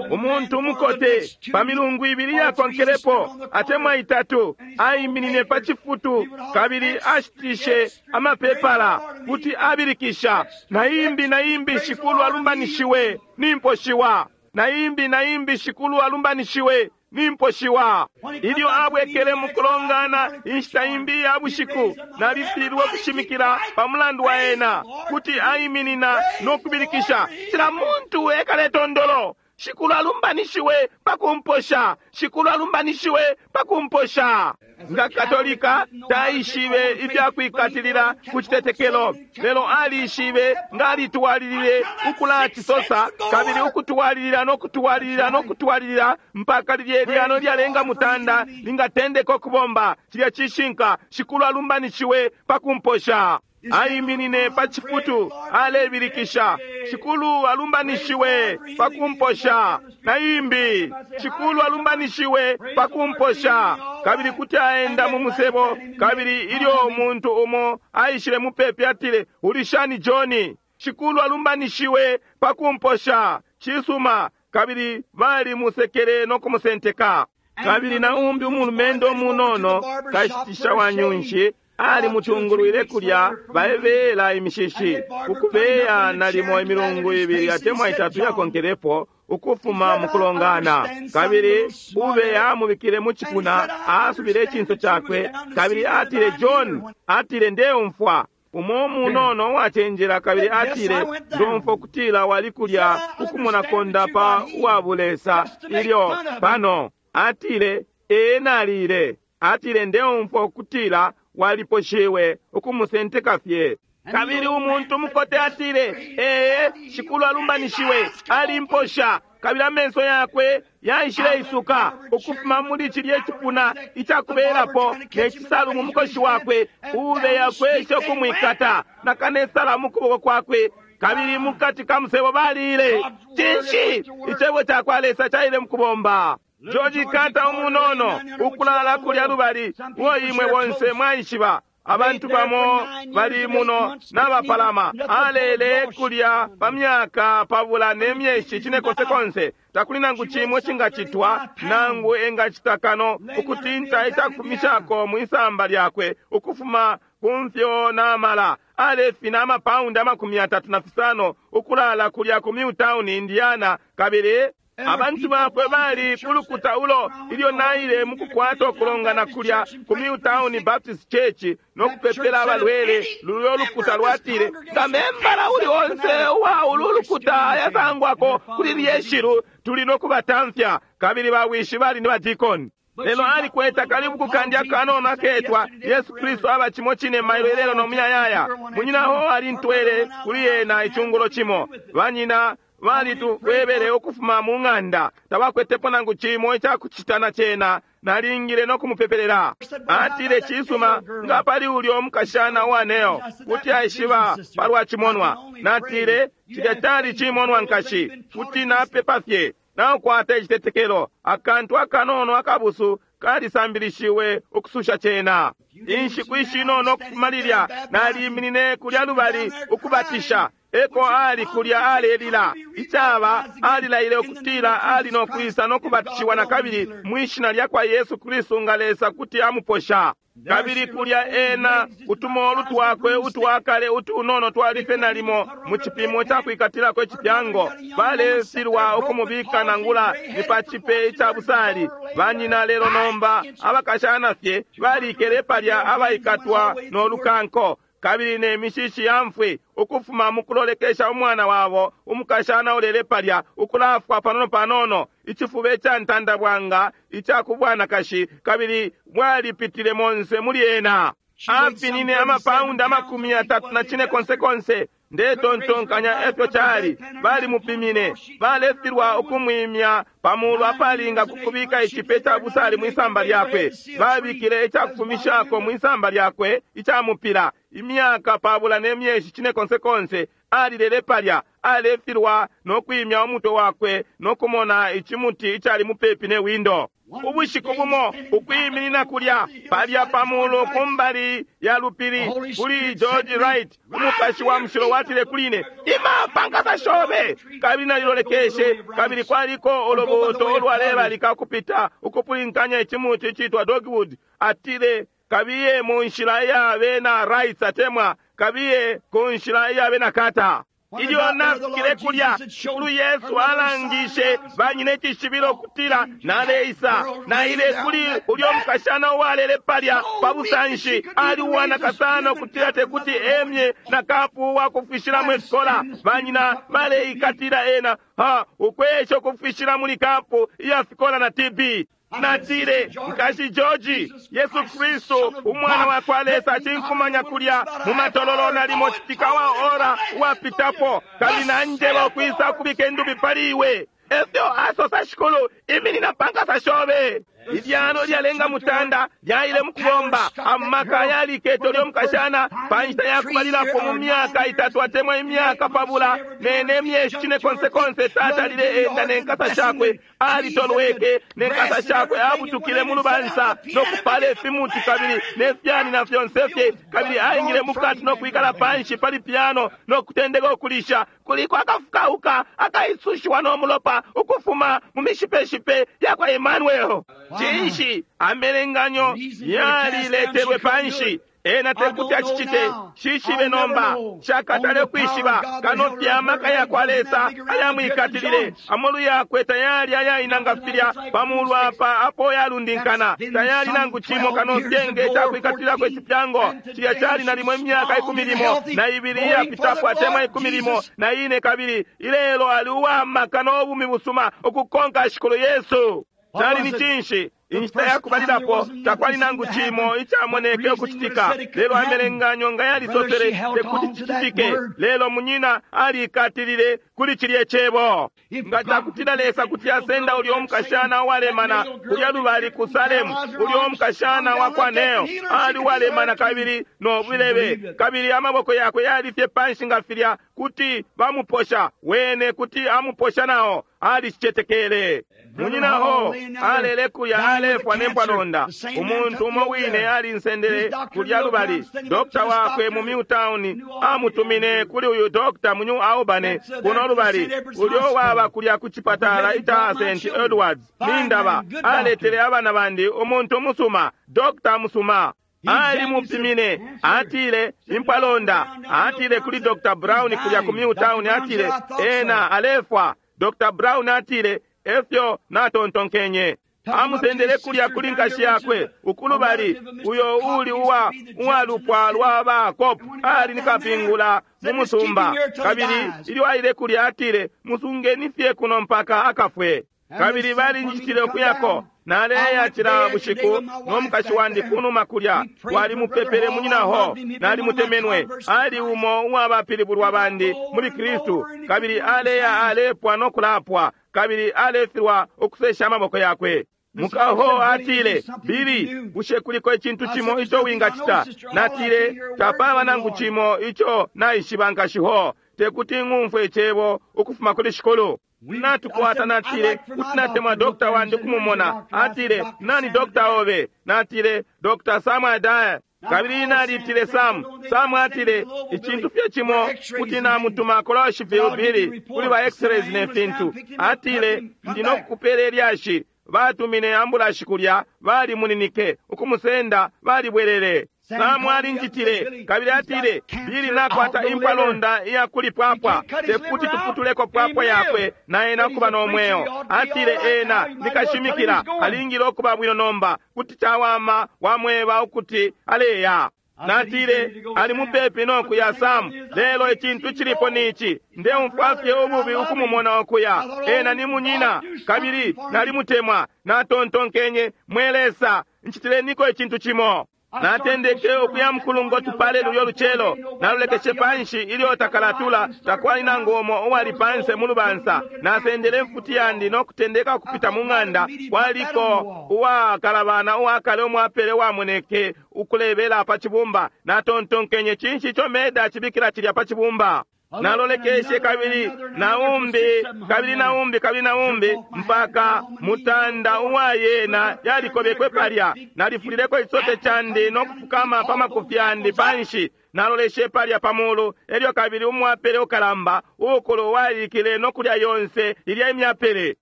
Umuntu umukote pa milungu ibili yakonkelepo atemwa itatu aiminine pa cifutu kabili ashitishe amapepala kuti abilikisha, na imbi na imbi shikulu alumbanishiwe, nimposhiwa, na imbi na imbi shikulu alumbanishiwe, nimposhiwa. Ilyo abwekele mukulongana inshita imbi ya bushiku, nalifilwe kushimikila pa mulandu wa ena kuti aiminina no kubilikisha, cila muntu ekale tondolo, shikulu alumbanishiwe pakumposha, shikulu alumbanishiwe pakumposha. Nga Katolika taishibe ifyakwikatilila ku citetekelo, lelo alishibe nga alitwalilile ukulacisosa kabili ukutwalilila no kutwalilila no kutwalilila mpaka lilye lyano lyalenga mutanda lingatendeka ukubomba. Cilya cishinka, shikulu alumbanishiwe pakumposha. Aiminine pa cifutu alebilikisha, shikulu alumbanishiwe pakumposha. Na imbi, shikulu alumbanishiwe pakumposha. Kabili kuti aenda mu musebo, kabili ilyo umuntu umo aishile mupepi atile, ulishani John? Shikulu alumbanishiwe pakumposha. Cisuma. Kabili bali musekele no kumusenteka. Kabili na umbi umulumendo umunono kashitisha wa nyunshi ali mutungulwile kulya baebela imishishi ukubeya nalimo imilungu ibili atemwa itatu yakonkelepo ukufuma mukulongana. Kabili ube amubikile mu cipuna, asubile icinso cakwe, kabili atile, John, atile, ndeumfwa umo munono uwacenjela. Kabili atile, ndomfwa ukutila wali kulya ukumona kondapa uwabulesa ilyo pano. Atile, ee, nalile. Atile, ndeumfwa ukutila waliposhiwe ukumusenteka fye. Kabili umuntu mukote atile, ee, shikulu alumbanishiwe, alimposha. Kabili amenso yakwe yaishile isuka ukufuma muli cilye cipuna icakubelapo ne cisalu mu mukoshi wakwe, ube yakwesha ukumwikata na kanesala mu kuboko kwakwe. Kabili mukati ka musebo balile, cinshi? Icebo cakwa Lesa caile mukubomba. George Carter umunono ukulala kulya lubali, uo imwe bonse mwaishiba. Abantu bamo bali muno n'abapalama, alele kulya pa myaka pabula ne myeshi cinekonsekonse. Takuli nangu cimwe cingacitwa nangu engacita kano ukutinta icakufumishako mwisamba lyakwe ukufuma kumfyo n'amala. Alefina amapaundi amakumi atatu na fisano ukulala kulya ku Milltown, Indiana. Kabili abantu bakwe bali kulukuta ulo ilyo naile mukukwata ukulongana kulya ku Milltown Baptist Church no kupepela abalwele. Lulyo lukuta lwatile, nga membala uli onse uwa ulu lukuta yasangwako kuli lyeshilu, tuli no kubatamfya. Kabili bawishi bali ni badikoni. Lelo alikwete akalibuku kandi akanono aketwa Yesu Kristu aba cimo cine mailo ilelo no muyayaya. Munyinaho alintwele kuli ena icungulo cimo. Banyina balitubwebele ukufuma mu ng'anda, tabakwetepo nangu cimo icakucita na cena. Nalingile no kumupepelela. Atile, cisuma, nga pali ulyo mukashana uwaneo kuti aishiba palwa cimonwa. Natile, cilya cali cimonwa nkashi, kuti napepa fye. Naukwata icitetekelo, akantu akanono akabusu kalisambilishiwe ukususha cena. Inshiku ishinono ukufuma lilya naliminine kulya lubali ukubatisha. Eko ali kulya alelila icaba alilaile ukutila ali no kwisa no kubatishiwa na kabili mwishina lya kwa Yesu Kristu nga Lesa kuti amuposha. Kabili kulya ena utumolu twakwe utwakale utunono twalife nalimo mu cipimo ca kwikatilako icipyango. Balefilwa ukumubika nangula ni pa cipe ica busali. Banyina lelo nomba abakashana fye balikele palya abaikatwa no lukanko kabili ne mishishi ya mfwi ukufuma mukulolekesha umwana wabo umukashana ulele palya ukulafwa panono panono icifuba ica ntandabwanga ica kubwanakashi kabili mwalipitile monse muli ena. Afinine amapaundi amakumi yatatu na cine konse konse. Ndetontonkanya efyo cali. Balimupimine, balefilwa ukumwimya pamulu apalinga kukubika icipe ca busali mwisamba lyakwe. Babikile icakufumishako mwisamba lyakwe icamupila imyaka pabula ne myeshi cine konse konse. Alilele palya alefilwa no kwimya umutwe wakwe no kumona icimuti icali mupepi ne windo. Ubushiku bumo ukwiminina kulya palya pamulu kumbali ya lupili kuli George Wright, umupashi wa mushilo watile kuli ine, ima pankasa shobe. Kabili nalilolekeshe, kabili kwaliko ulubuuto ulwalebalika kupita ukupulinkanya icimuti icitwa dogwood. Atile, kabiye mu nshila iya bena Wrights atemwa kabiye ku nshila iya bena Carter. Ilyo nafikile kulya, Shikulu Yesu alangishe banyina icishibilo kutila naleisa. Naile kuli ulyo mukashana uwalele palya pa busanshi, ali uwanaka sana ukutila tekuti emye na kapu wakufwishilamo ifikola. Banyina baleikatila ena ha ukwesha ukufwishila muli kapu iya fikola na T B. Natile, nkashi George, Yesu Kristu umwana wa kwa Lesa acinkumanya kulya mu matololo nalimo citika wa ora uwapitapo, kabili nanjeba ukwisa kubika indubi pali iwe. Efyo asosa Shikulu, iminina pankasa shobe. Ilyano lyalenga mutanda lyaile mukubomba amaka yalikete ulyo mukashana pa nshita yakubalilapo mu myaka itatu atemwa imyaka pabula nene myeshi cine konse konse. Tata lile enda nenkasa shakwe alitolweke nenkasa shakwe abutukile mu lubansa nokupala ifimuti kabili nefyani na fyonse fye, kabili aingile mukati nokwikala panshi pali piano nokutendeka ukulisha. Kuliko akafukauka akaisushiwa no mulopa ukufuma mu mishipeshipe yakwa Emmanuel. Cinshi amelenganyo yaliletelwe panshi. Ena tekuti acicite, shishibe nomba shakatale kwishiba kano fye amaka yakwa Lesa ayamwikatilile. Amolu yakwe tayali ayainanga filya pamulu apa apo yalundinkana, tayali nangu cimo kano fye nge cakwikatililako icipyango. Cilya cali nalimo imyaka ikumi limo na ibili iyapitapo atemwa ikumi limo na ine, kabili ilelo ali uwamaka n'obumi busuma ukukonka Shikulu Yesu. Cali ni cinshi? Inshita yakubalilapo takwali nangu cimo icamoneke ukucitika, lelo amelenganyo nga yalisosele tekuti cicitike. Lelo munyina alikatilile kuli cilye cebo. Nga cakutila Lesa kuti asenda ulyo mukashana uwalemana kulya lubali ku Salemu, ulyo mukashana wa kwa Neo ali uwalemana kabili no bulebe, kabili amaboko yakwe yali fye panshi nga filya, kuti bamuposha wene, kuti amuposha nao. Alicicetekele. Munyinaho alele kulya alefwa nempwalonda. Umuntu umo wine alinsendele kulya lubali. Dokta wakwe mu Milltown amutumine kuli uyu dokta mu New Albany kuno lubali, ulyo waba kulya ku chipatala ica Saint Edwards. Nindaba aletele abana bandi umuntu musuma, dokta musuma. Alimupimine, atile impwalonda, atile kuli Doctor Brown kulya ku Milltown, atile ena alefwa. Doctor Brown atile efyo natontonkenye. Amusendele kulya kuli nkashi yakwe ukulubali, uyo uli uwa uwalupwa lwa ba Cop, ali nikapingula mu musumba. Kabili ilyo aile kulya atile, musungeni fye kuno mpaka akafwe. Kabili balinjitile ukuyako. Naleya cila bushiku no mukashi wandi kunuma kulya, walimupepele munyinaho, nalimutemenwe, ali umo uwabapilibulwa bandi muli Kristu. Kabili aleya alepwa no kulapwa, kabili alefilwa ukusesha amaboko yakwe. Mukaho atile, Billy, bushe kuliko icintu cimo ico wingacita? Natile, tapaba nangu cimo ico naishiba nkashiho, tekuti ng'umfwe icebo ukufuma kuli Shikulu. Natukwata, natile, kuti natemwa dokta wandi kumumona. Atile, nani dokta obe? Natile, Doctor Sam Adair. Kabili nalitile Sam. Sam atile, icintu fye cimo kuti namutuma Coloshyville Billy kuli ba x-rays ne fintu. Atile, ndi nokukupela ilyashi. Batumine ambulashi kulya, balimuninike ukumusenda, balibwelele. Sam alinjitile kabili atile, Billy nakwata impalonda iya kuli pwapwa, tekuti tuputuleko pwapwa yakwe na ena ukuba no mweo. Atile ena nikashimikila, alingile ukuba bwino nomba, kuti cawama wamweba ukuti aleya. Natile, ali mupepi no kuya Sam, lelo icintu cilipo nici, ndeumfwa fye ububi ukumumona okuya. Ena ni munyina, kabili nalimutemwa. Natontonkenye, mwe Lesa, nchitileniko icintu cimo. Natendeke ukuya mukulungo tupale lulyo lucelo, nalolekeshe panshi ilyo takalatula, takwali nangu umo uwali panse mu lubansa. Nasendele mfuti yandi no kutendeka kupita mu ng'anda, kwaliko uwakalabana uwakale umwapele wamoneke ukulebela pa cibumba. Natontonkenye, cinshi ico Meda acibikila cilya pa cibumba? Nalolekeshe kabili naumbi kabili naumbi kabili naumbi mpaka mutanda uwayena yalikobekwe palya. Nalifulileko isote candi no kufukama pa makufi yandi panshi. Naloleshe palya pamulu, elyo kabili umwapele ukalamba ukulu walikile no kulya yonse ilya imyapele.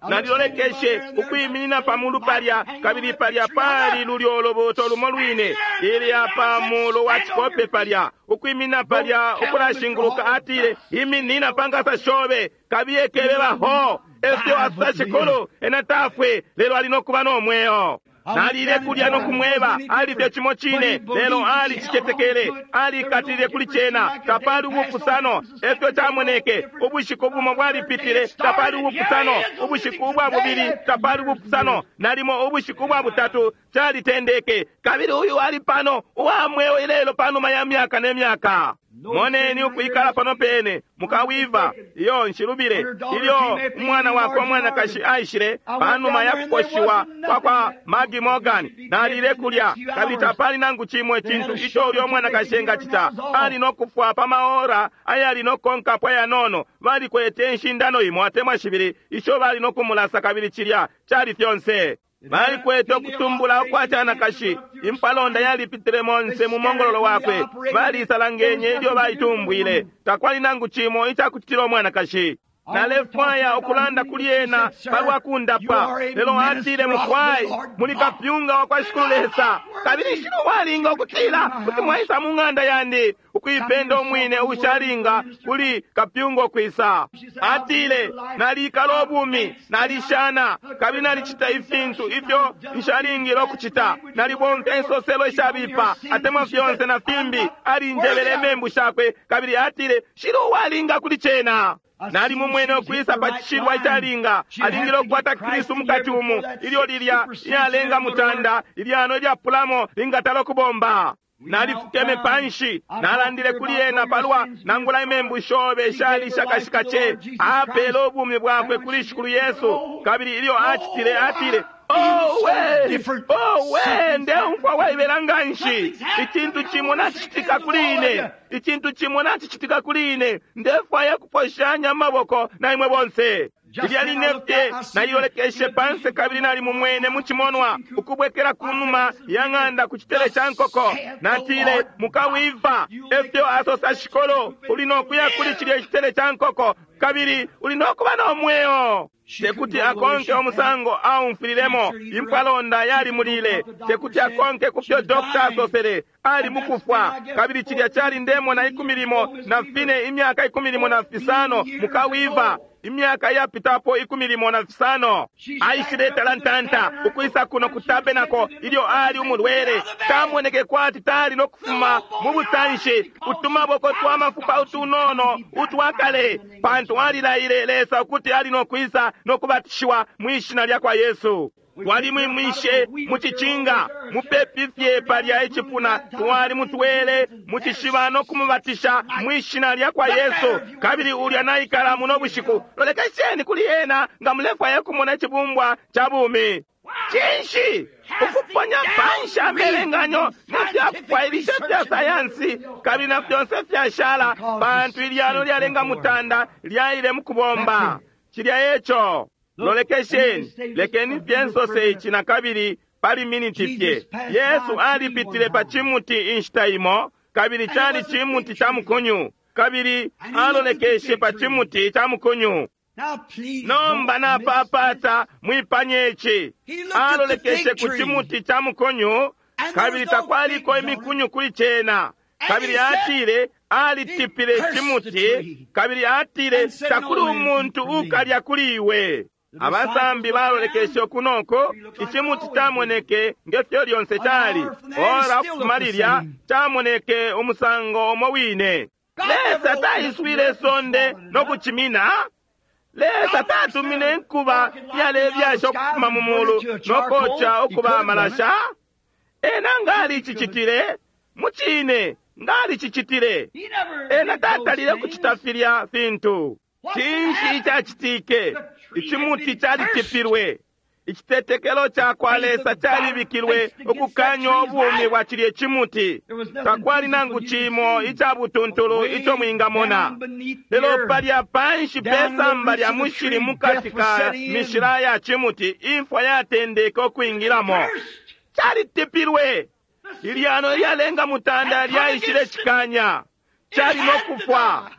Nalilolekeshe ukwiminina pamulu palya, kabili palya pali lulyo lubuto lumo lwine ilya pamulu wa cikope palya, ukwiminina palya ukulashinguluka. Atile, iminina pangasa shobe, kabiye kebebaho efyo asa Shikulu, ena tafwe lelo ali nokuba no mweo. Nalile kulya no kumweba, ali fye cimo cine, lelo alicicetekele, alikatilile kuli cena. Tapali ubupusano, efyo camoneke. Ubushiku bumo bwalipitile, tapali ubupusano. Ubushiku ubwa bubili, tapali ubupusano. Nalimo ubushiku ubwa butatu calitendeke, kabili uyu ali pano uwa mweo ilelo panuma ya myaka ne myaka. Moneni ukwikala pano pene mukawiva iyo nshilubile ilyo umwana wakwe umwanakashi aishile panuma ya kukoshiwa kwa kwa Maggie Morgan. Nalile kulya kabili tapali nangu cimo icintu ico ulyo mwanakashi engacita. Ali no kufwa pa maora ayali no konkapo ayanono. Balikwete inshindano imo atemwa shibili isho bali no kumulasa, kabili cilya cali fyonse. Balikwete ukutumbula ukwa canakashi, impalonda yalipitile monse mu mongololo wakwe. Balisalangenye ilyo baitumbwile, takwali nangu cimo icakucitila umwanakashi. Nalefwaya ukulanda kuli ena palwa kundapa, lelo atile, mukwai, muli kapyunga wa kwa Shikulu Lesa, kabili nshilo walinga ukutila kuti mwaisa mu ng'anda yandi ukuipenda umwine ushalinga kuli kapyunga ukwisa. Atile, nalikala ubumi, nalishana, kabili nalicita ifintu ifyo nshalingile ukucita, nalibomfya insoselo ishabipa atemwa fyonse na fimbi. Alinjebele imembu shakwe, kabili atile, nshilo walinga kuli cena. Nali mumwene ukwisa pa cishilwa icalinga, alingile ukukwata Kristu mukati umu, ilyo lilya iyalenga mutanda, ilyano ilyapulamo lingatala ukubomba. Nalifukeme panshi, nalandile kuli ena palwa nangula imembu shobe shali shakashika ce. Apele ubumi bwakwe kuli Shikulu Yesu, kabili ilyo acitile, atile, Oh we, oh we, ndeumfwa waibela nganshi. Icintu cimo nacicitika kuli ine, icintu cimo nacicitika kuli ine. Ndefwaya kuposhanya amaboko na imwe bonse. Lilya line fye nalilolekeshe panse, kabili nali mumwene mu cimonwa ukubwekela kunuma ya ng'anda ku citele ca nkoko. Natile, mukawiva, efyo asosa Shikolo, uli nokuya kuli cilya citele ca nkoko, kabili uli nokuba no mweo. Tekuti akonke umusango aumfililemo, impalonda yalimulile. Tekuti akonke kufyo dokta asosele, ali mukufwa. Kabili cilya cali ndemona ikumi limo na fine, imyaka ikumi limo na fisano, mukawiva imyaka yapitapo ikumi limo na fisano. Aishile talantanta ukwisa kuno ku tabenako ilyo ali umulwele. Tamoneke kwati tali no kufuma mu busanshi, utumaboko twa mafupa utunono utwakale, pantu alilaile Lesa ukuti ali no kwisa no kubatishiwa mwishina lya kwa Yesu. Twalimwimwishe mu cicinga mupepi fye palya icipuna, twalimutwele mu cishiba no kumubatisha mwishina lya kwa Yesu. Kabili ulya naikala muno bushiku. Lolekesheni kuli ena nga mulefwaya kumona icibumbwa ca bumi. Cinshi ukuponya panshi amelenganyo nefyakufwailisha fya sayansi kabili na fyonse fyashala, pantu ilyano lyalenga mutanda lyaile mukubomba. Cilya eco. Lolekesheni, lekeni fye nsose ici na kabili pali miniti fye. Yesu alipitile pa cimuti inshita imo, kabili cali cimuti ca mukunyu, kabili alolekeshe pa cimuti ca mukunyu. Nomba napapata mwipanye ici. Alolekeshe ku cimuti ca mukunyu, kabili takwaliko imikunyu kuli cena. Kabili atile alitipile cimuti, kabili atile takuli umuntu ukalya kuli iwe. Abasambi balolekeshe kunoko, icimuti camoneke ngefyo lyonse cali. Ora ukufuma lilya camoneke umusango umo wine. Lesa taiswile sonde no kucimina. Lesa tatumine nkuba yalebyasha ukufuma mu mulu no koca ukuba amalasha. Ena ngalicicitile mucine, ngalicicitile. Ena tatalile kucita filya fintu. Cinshi icacitike? Icimuti calitipilwe. Icitetekelo ca kwa Lesa calibikilwe ukukanya ubumi bwa cilye cimuti. Takwali nangu cimo ica butuntulu ico mwingamona. Lelo palya panshi pe samba lya mushili mukati ka mishila ya cimuti, imfwa yatendeke ukwingilamo. Calitipilwe. Ilyano lyalenga mutanda lyaishile cikanya. Cali no kufwa.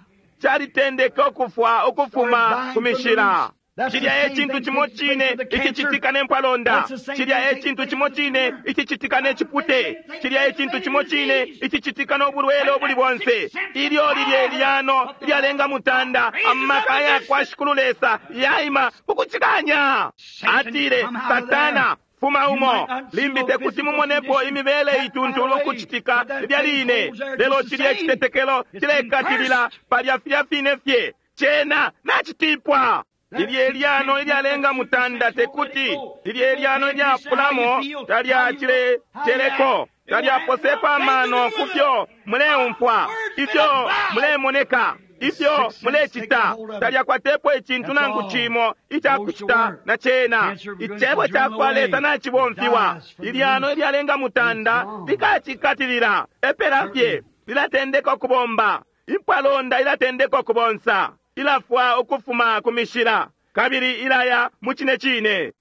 Calitendeke ukufwa ukufuma ku mishila. Cilya e cintu cimo cine icicitika ne mpwalonda. Cilya e cintu cimo cine icicitika ne cipute. Cilya e cintu cimo cine icicitika no bulwele ubuli bonse. Ilyo lilye lyano lyalenga mutanda, amaka ya kwa Shikulu Lesa yaima kukucikanya. Atile, Satana, fuma umo. Limbi tekuti mumonepo imibele ituntulu kucitika lya line. Lelo cilya citetekelo cilekatilila palya filya fine fye. Cena nacitipwa. Lilye lyano ilyalenga mutanda tekuti, lilye lyano ilyapulamo talyacileteleko, talyaposepo amano kufyo muleumfwa, ifyo mulemoneka, ifyo mulecita, talyakwatepo icintu nangu cimo icakucita na cena. Icebo ca kwa Lesa nacibomfiwa. Ilyano ilyalenga mutanda likacikatilila, epela fye lilatendeka ukubomba. Impwalonda ilatendeka ukubonsa, ilafwa ukufuma ku mishila, kabili ilaya mu cine cine.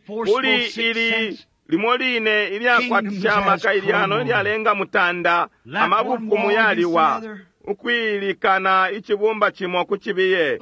Kuli ili limo line ilyakwatisha amaka ilyano ilyalenga mutanda, amabufumu yaliwa ukwilikana icibumba cimo ku cibiye.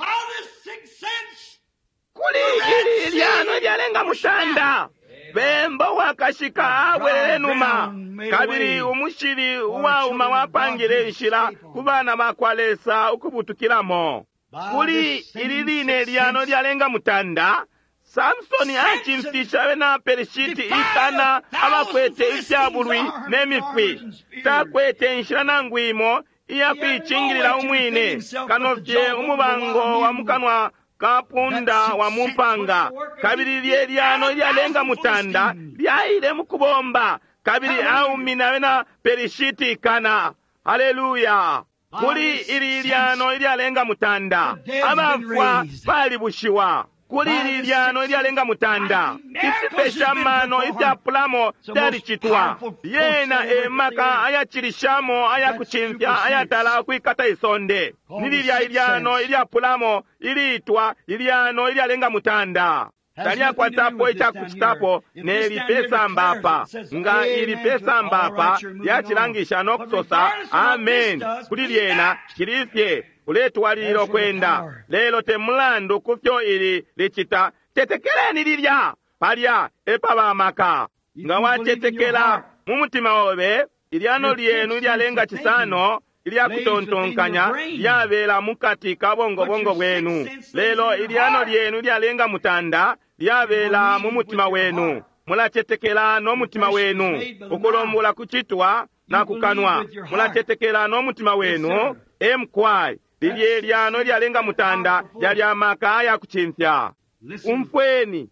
Kuli ili ilyano ilyalenga mutanda, bemba wakashika abwelele numa, kabili umushili uwauma wapangile inshila ku bana ba kwa Lesa ukubutukilamo. Kuli ili line lyano lyalenga mutanda, Samsoni acimfisha abena Pelishiti ikana abakwete ifyabulwi ne mifwi. Takwete inshila nangu imo iya kuicingilila umwine, kano fye umubango wa mukanwa kapunda wa mumpanga. Kabili lye lyano ilyalenga mutanda lyaile mukubomba, kabili aumina abena Pelishiti ikana. Haleluya! Kuli ili lyano ilyalenga mutanda, abafwa balibushiwa. Kuli ili lyano ilyalenga mutanda, ifipesha mano ifyapulamo fyalicitwa. Yena emaka ayacilishamo ayakucimfya ayatala ukwikata isonde. Ni lilya ilyano ilyapulamo iliitwa ilyano ilyalenga mutanda. Talyakwatapo icakucitapo neli pesamba apa. Nga ili pesamba apa lyacilangisha no kusosa amen kuli lyena, cili fye uletwalilila ukwenda. Lelo te mulandu kufyo ili licita, tetekeleni lilya palya epaba amaka. Nga wacetekela mu mutima obe, ilyano lyenu ilyalenga cisano ilyakutontonkanya lyabela mukati ka bongobongo bwenu. Lelo ilyano lyenu ilyalenga mutanda lyabela mu mutima wenu. Mulacetekela no mutima wenu. Ukulombola kucitwa na kukanwa. Mulacetekela no mutima wenu. Emkwai lilye lyano ilyalenga mutanda lyali amaka ayakucimfya. Umfweni,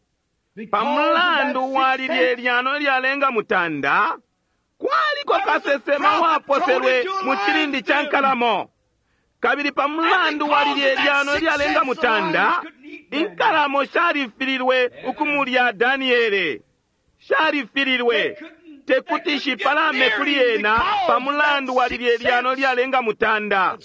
pamulandu wa lilye lyano ilyalenga mutanda, kwaliko kasesema waposelwe mu cilindi ca nkalamo. Kabili pamulandu wa lilye lyano ilyalenga mutanda, Inkalamo shalifililwe ukumulya Daniele, shalifililwe tekuti shipalame kuli ena pamulandu wa lilye lyano lyalenga mutanda,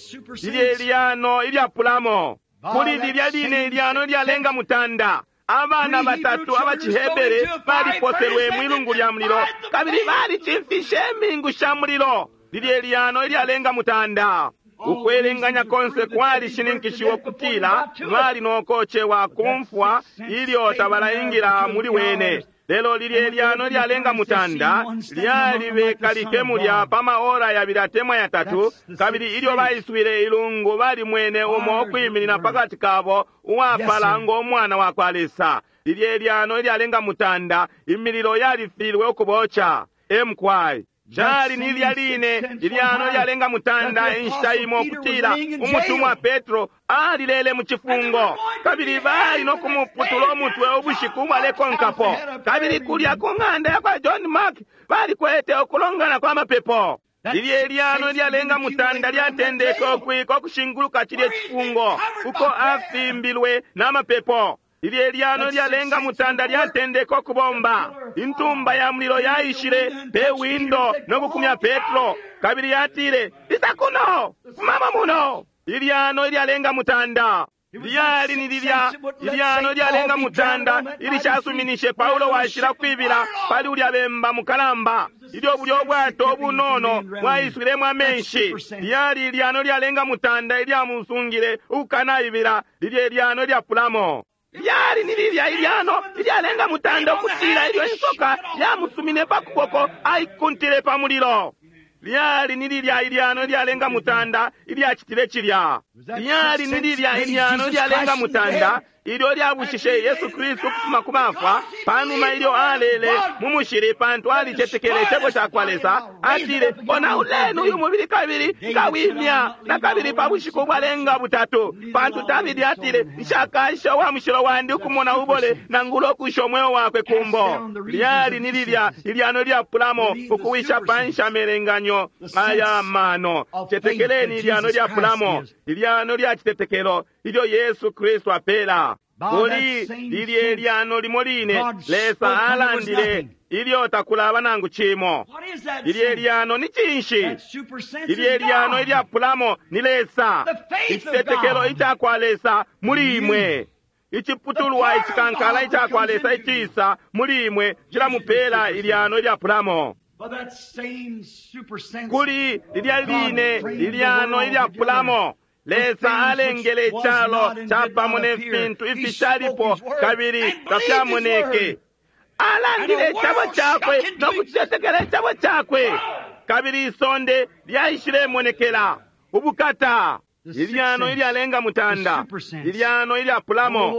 lilye lyano ilyapulamo. Kuli lilya line ilyano lyalenga mutanda, abana batatu abacihebere baliposelwe mwilungu lya mulilo kabili balicimfishe imingu sha mulilo. Lilye lyano ilyalenga mutanda. Ukwelenganya konse kwalishininkishiwa kutila bali nokocewa kumfwa ilyo tabalaingila muli wene. Lelo lilye lyano lyalenga mutanda lyalibekalike mulya pa maora yabili atemwa yatatu, kabili ilyo baiswile ilungu balimwene umo ukwiminina pakati kabo uwapala ngo mwana wa kwa Lesa. Lilye lyano lyalenga mutanda, imililo yalifilwe ukuboca. Emkwai cali ni lilya line ilyano lyalenga mutanda inshita imo kutila umutumwa Petro alilele mu cifungo, kabili bali no kumuputula umutwe ubushiku ubwalekonkapo. Kabili kulya ku ng'anda ya kwa John Mark balikwete ukulongana kwa mapepo. Lilye lyano lyalenga mutanda lyatendeke ukwika ukushinguluka cilye cifungo uko afimbilwe n'amapepo. Lilye lyano lyalenga mutanda lyatendeke ukubomba. Intumba ya mulilo yaishile pe windo nokukumya Petro, kabili yatile, isa kuno, fumamo muno. Ilyano ilyalenga mutanda lyali ni lilya ilyano lyalenga mutanda ilishasuminishe Paulo washila kwibila pali ulya bemba mukalamba ilyo bulyo bwato obunono bwaiswilemo amenshi. Lyali ilyano lyalenga mutanda ilyamusungile ukukanaibila. Lilye ilyano ilyapulamo lyali ni lilya ilyano ilyalenga mutanda ukutila ilyo insoka yamusumine pa kuboko aikuntile pa mulilo. Lyali ni lilya ilyano ilyalenga mutanda ilyacitile cilya. Lyali ni lilya ilyano ilyalenga mutanda ilyo lyabushishe Yesu Kristu ukufuma ku bafwa panuma ilyo alele mu mushili, pantu alicetekele icebo ca kwa Lesa. Atile, onauleni uyu mubili kabili nkawimya na kabili pa bushiku bwalenga butatu, pantu Davidi atile, nshakasha uwa mushilo wandi ukumona ubole nangula ukusha umweo wakwe kumbo. Lyali ni lilya ilyano lyapulamo ukuwisha panshi amelenganyo aya mano. Cetekeleni ilyano lyapulamo, ilyano lya citetekelo ilyo Yesu Kristu apela. Kuli lilye lyano limo line Lesa alandile ilyo takulaba nangu cimo. Lilye lyano ni cinshi? Lilye lyano ilyapulamo ni Lesa, icitetekelo ica kwa Lesa muli imwe. Iciputulwa icikankala ica kwa Lesa icisa muli imwe cilamupela ilyano ilyapulamo. Kuli lilya line ilyano ilyapulamo Lesa alengele icalo capamo ne fintu ifishalipo kabili tafyamoneke. Alandile icabo cakwe no kucetekela icabo cakwe, kabili isonde lyaishilemonekela. Ubukata! Ilyano ilyalenga mutanda, ilyano ilyapulamo.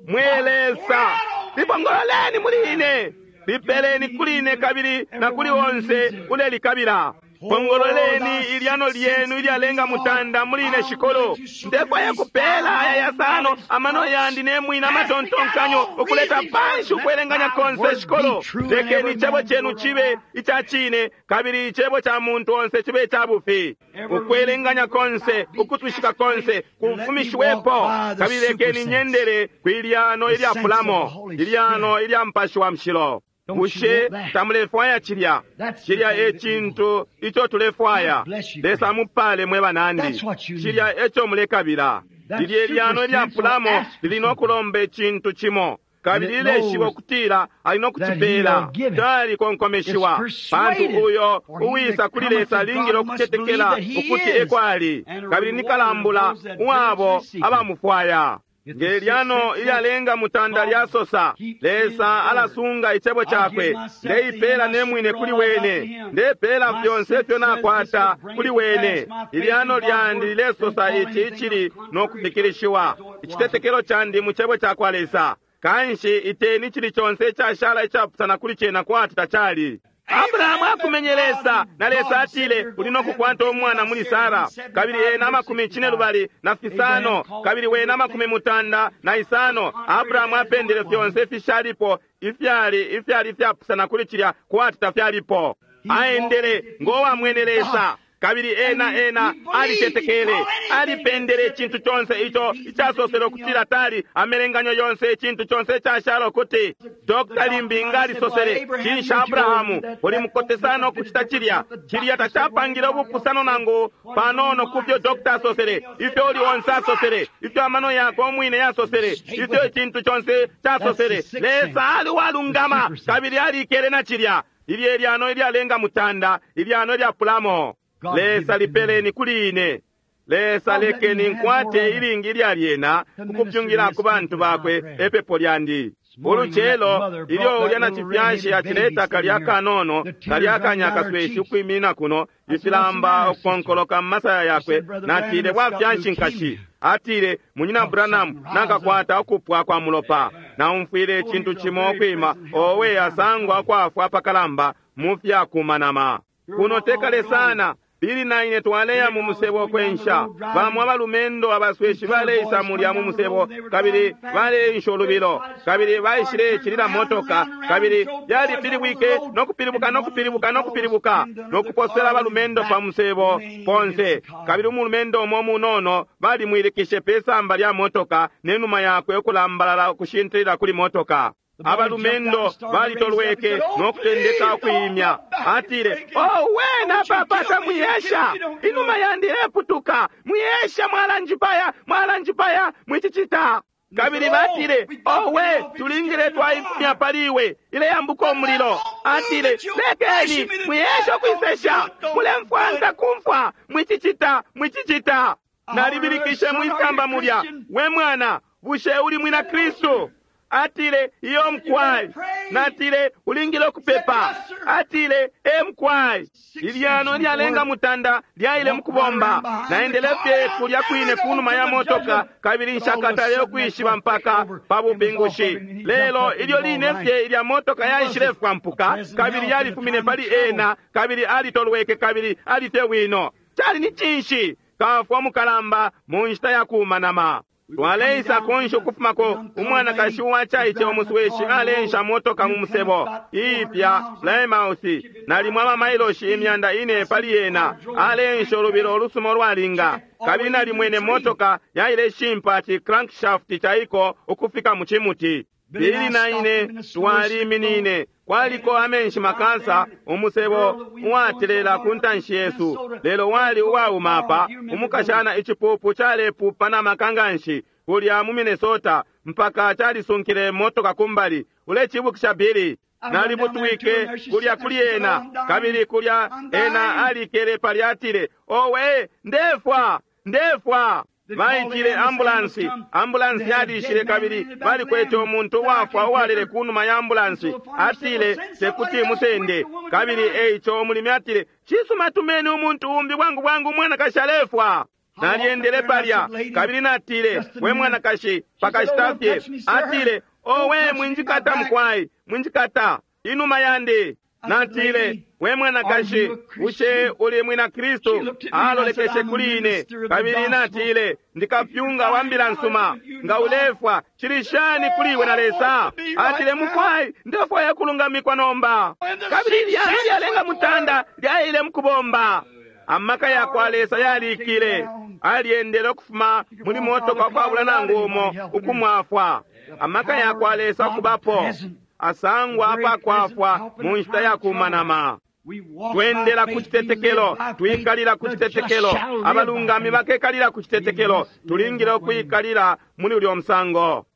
Mwe Lesa, lipongololeni muli ine, lipeleni kuli ine kabili na kuli onse ulelikabila. Pongololeni ilyano lyenu ilyalenga mutanda muli ine shikolo. Ndefwaya kupela aya yasano amano yandi nemwina amatontonkanyo ukuleta panshi ukwelenganya konse shikolo. Lekeni icebo chenu chibe ica cine kabili icebo cha muntu onse chibe ica bufi. Ukwelenganya konse, ukutwishika konse kufumishiwepo, kabili lekeni nyendele kwilyano ilyapulamo, ilyano ilya mpashi wa mshilo. Bushe tamulefwaya cilya? Cilya e cintu ico tulefwaya. Lesa mupale mwe banandi. Cilya eco mulekabila. Lilye lyano ilyapulamo lili no kulomba icintu cimo, kabili lileshiba ukutila ali no kucipela. Calikonkomeshiwa, pantu uyo uwisa kuli Lesa alingile ukucetekela ukuti ekwali, kabili ni kalambula uwabo abamufwaya. Nge lyano ilyalenga mutanda lyasosa, Lesa alasunga icebo cakwe. Ndeipela nemwine kuli wene, ndepela fyonse ifyo nakwata kuli wene. Ilyano lyandi lilesosa ici icili no kufikilishiwa, icitetekelo candi mu cebo ca kwa Lesa. Kanshi iteni cili conse icashala icapusana kuli cena kwati tacali. Abrahamu akumenye Lesa, na Lesa atile, uli no kukwata umwana muli Sara, kabili ena amakumi cine lubali na fisano, kabili wena amakumi mutanda na isano. Abrahamu apendele fyonse ifishalipo ifyali ifyali ifyapusana kuli cilya kwati tafyalipo. Aendele ngowamwene Lesa. Kabili ena ena alicetekele, alipendele icintu conse ico icasosele ukutila tali amelenganyo yonse, icintu conse icashala ukuti Dokta limbi nga alisosele, cinshi Abrahamu uli mukote sana ukucita cilya? Cilya tacapangile ubupusano nangu panono kufyo dokta asosele, ifyo uli onse asosele, ifyo amano yakwe umwine yasosele, ifyo icintu conse casosele. Lesa ali walungama kabili alikele na cilya. Ilye lyano ilyalenga mutanda, ilyano ilyapulamo. Lesa lipeleni kuli ine. Lesa lekeni nkwate ilingi lya lyena kukupyungila ku bantu bakwe epepo lyandi. Ulucelo ilyo ulya na cifyashi acileta kalya kanono kalya kanyakasweshi ukwimina kuno, ifilamba ukukonkoloka mu masaya yakwe, natile bwafyanshi nkashi. Atile, Munyina Branham, nakakwata ukupwa kwa mulopa. Naumfwile icintu cimo ukwima, owe asangwa kwafwa pakalamba mu fyakumanama. Kuno tekale sana. Bili na ine twaleya mu musebo kwensha. Bamwe abalumendo abasweshi baleisa mulya mu musebo, kabili baleensha ulubilo, kabili baishile cilila motoka, kabili yalipilibwike no kupilibuka no kupilibuka no kupilibuka no kuposela abalumendo pa musebo ponse. Kabili umulumendo umo munono balimwilikishe pe samba lya motoka ne numa yakwe ukulambalala ukushintilila kuli motoka. Abalumendo balitolweke no kutendeka ukuimya. Atile, owe napapata mwiyesha, inuma yandi ileputuka, mwiyesha, mwalanjipaya, mwalanjipaya, mwicicita. Kabili batile, owe tulingile twaifumya pali iwe, ileyambuka umulilo. Atile, lekeni mwiyesha ukwisesha, mulemfwanta kumfwa, mwicicita, mwicicita. Nalibilikishe mwisamba mulya, we mwana, bushe uli mwina Kristu? Atile, iyo mkwai. Natile, ulingile ukupepa. Atile, e mkwai. Ilyano lyalenga mutanda lyaile mukubomba. Naendele fye kulya kwine kunuma ya motoka, kabili nshakatale ukwishiba mpaka pa bupingushi. Lelo ilyo line fye ilya motoka yaishile fwampuka, kabili yalifumine pali ena, kabili alitolweke kabili alifye wino. Cali ni cinshi? Kafwa mukalamba mu nshita ya kumanama. Twaleisa konshi ukufumako umwanakashi uwacaice umusweshi aleensha motoka mu musebo iipya Plymouth, nalimwe amamailoshi imyanda ine pali yena, aleensha ulubilo olusuma olwalinga, kabili nalimwene motoka yaile shimpa ci crankshaft caiko ukufika mu cimuti. Bili na ine twaliminine, kwaliko amenshi makasa, umusebo uwatelela ku ntanshi yesu, lelo wali uwauma apa. Umukashana icipupu calepupa na maka nganshi kulya mu Minnesota mpaka calisunkile motoka kumbali. Ulecibukisha, Bili? Nalibutwike kulya kuli ena, kabili kulya ena alikele palya. Atile, owe, ndefwa, ndefwa. Baitile ambulansi, ambulansi yalishile, kabili balikwete umuntu uwafwa uwalele kunuma ya ambulansi. Atile, tekuti musende. Kabili eico umulimi atile, cisuma, tumeni umuntu umbi bwangu bwangu, umwanakashi alefwa. Nalyendele palya kabili natile, we mwanakashi, pakashita fye. Atile, owe, mwinjikata mukwai, mwinjikata inuma yandi. Natile, we mwanakashi, bushe uli mwina Kristu? Alolekeshe kuli ine, kabili natile, ndikapyunga wa mbila nsuma. Nga ulefwa, cili shani kuli iwe na Lesa? Atile, mukwai, ndefwaya kulungamikwa nomba. Kabili lyano lyalenga mutanda lyaile mukubomba. Amaka ya kwa Lesa yalikile. Alyendele ukufuma muli motoka ukwabula nangu umo ukumwafwa. Amaka ya kwa Lesa kubapo asangwa apakwafwa mu nshita ya kumanama. Twendela ku citetekelo, twikalila ku citetekelo, abalungami bakekalila ku citetekelo. Tulingile ukwikalila muli ulyo musango.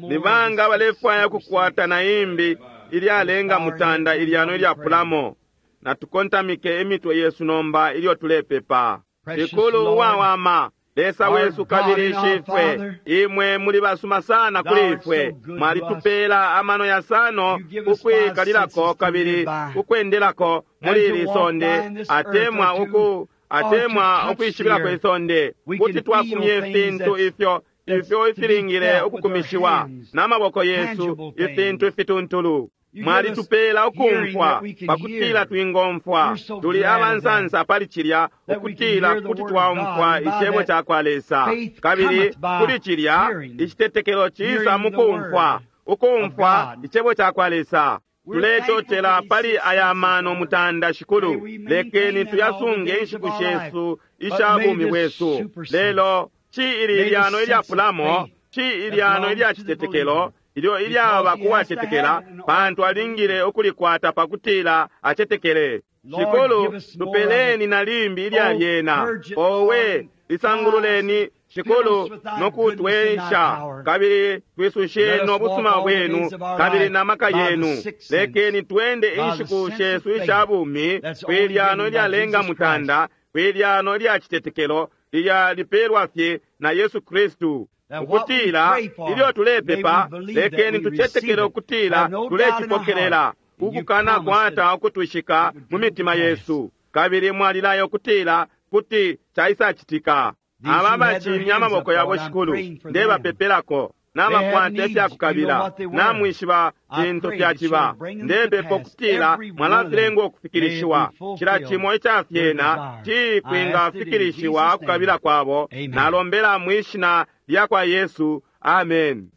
Ni banga balefwaya ukukwata na imbi ilyalenga mutanda, ilyano ilyapulamo? Natukontamike imitwe yesu nomba ilyo tulepepa. Shikulu uwawama, Lesa wesu kabili Shifwe, imwe muli basuma sana kuli ifwe. Mwalitupela amano yasano ukwikalilako kabili ukwendelako muli ili sonde, atemwa uku atemwa ukwishibilako isonde. Kuti twakumye ifintu ifyo ifyo ifilingile ukukumishiwa n'amaboko yesu, ifintu ifituntulu. Mwalitupela ukumfwa pakutila twingomfwa. Tuli abansansa pali cilya, ukutila kuti twaumfwa icebo ca kwa Lesa. Kabili kuli cilya, icitetekelo cisa mukumfwa, ukumfwa icebo ca kwa Lesa. Tuletotela pali aya mano mutanda, Shikulu. Lekeni tuyasunge inshiku shesu isha bumi bwesu. Lelo ci ili lyano ilyapulamo, ci ilyano ilyacitetekelo ilyo ilyaba kuwacetekela, pantu alingile ukulikwata pakutila acetekele. Shikulu, tupeleni na limbi ilya lyena. Owe, lisangululeni Shikulu, nokutwensha, kabili twisushe no busuma bwenu kabili na maka yenu. Lekeni twende inshiku shesu isha bumi kwilyano ilyalenga mutanda, kwilyano ilya citetekelo lilya lipelwa fye na Yesu Kristu, ukutila ilyo tulepepa, lekeni tucetekele ukutila tulecipokelela, ukukana kwata ukutwishika mu mitima yesu, kabili mwalilayo ukutila kuti caisacitika. Aba bacimya amaboko yabo, Shikulu, ndebapepelako nabakwata ifyakukabila, namwishiba fintu fyaciba. Ndepepa ukutila mwalafilenga ukufikilishiwa cila cimo ica fyena cikwingafikilishiwa ukukabila kwabo. Nalombela mwishina lya kwa Yesu, amen.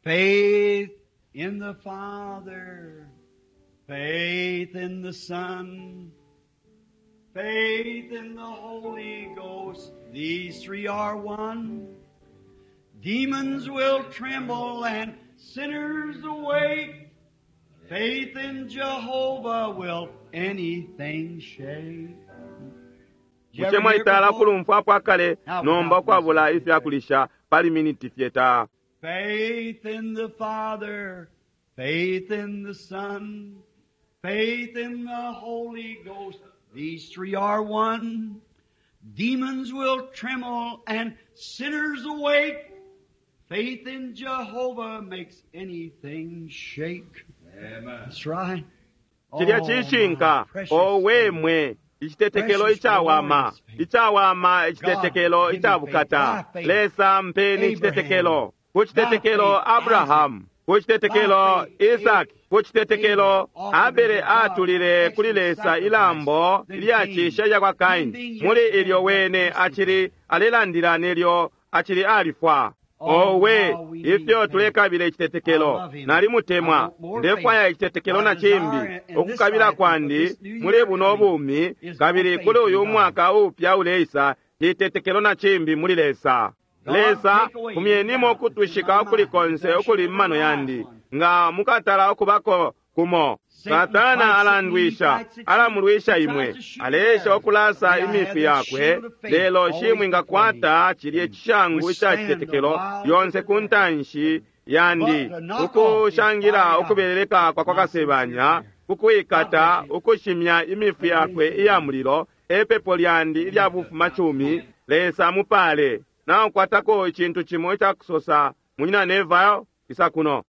Faith in the Father, faith in the Son, faith in the Holy Ghost, these three are one. Demons will tremble and sinners awake. Faith in Jehovah will anything shake. Bushe mwalitala kulumfwapo akale nomba ukwabula ifyakulisha pali miniti fye ta? Faith in the Father, faith in the Son, faith in the Holy Ghost, these three are one. Demons will tremble and sinners awake. Faith in Jehovah makes anything shake. Amen. That's right. Cilya cishinka. Owe mwe, icitetekelo icawama, icawama icitetekelo icabukata. Lesa mpeni icitetekelo. Ku citetekelo Abrahamu, ku citetekelo Isaki, ku citetekelo Abele atulile kuli Lesa ilambo ilyacisha ilya kwa Kaini. Muli ilyo wene acili alelandila nelyo acili alifwa. Owe, ifyo tulekabila icitetekelo! Nalimutemwa. Ndefwaya icitetekelo na cimbi. Ukukabila kwandi muli buno bumi kabili kuli uyu mwaka upya uleisa citetekelo na cimbi muli Lesa. Lesa, kumyenimo ukutwishika ukuli konse ukuli mmano yandi, nga mukatala ukubako kumo. Satana alandwisha, alamulwisha imwe, aleesha ukulasa imifwi yakwe, lelo shimwingakwata cilye cishangu ica citetekelo lyonse ku ntanshi yandi, ukushangila ukubeleleka kwa kwa Kasebanya, kukwikata ukushimya imifwi yakwe iya mulilo. Epepo lyandi ilya bufumacumi. Lesa mupale. Naukwatako icintu cimo icakusosa, Munyina Neville, isa kuno.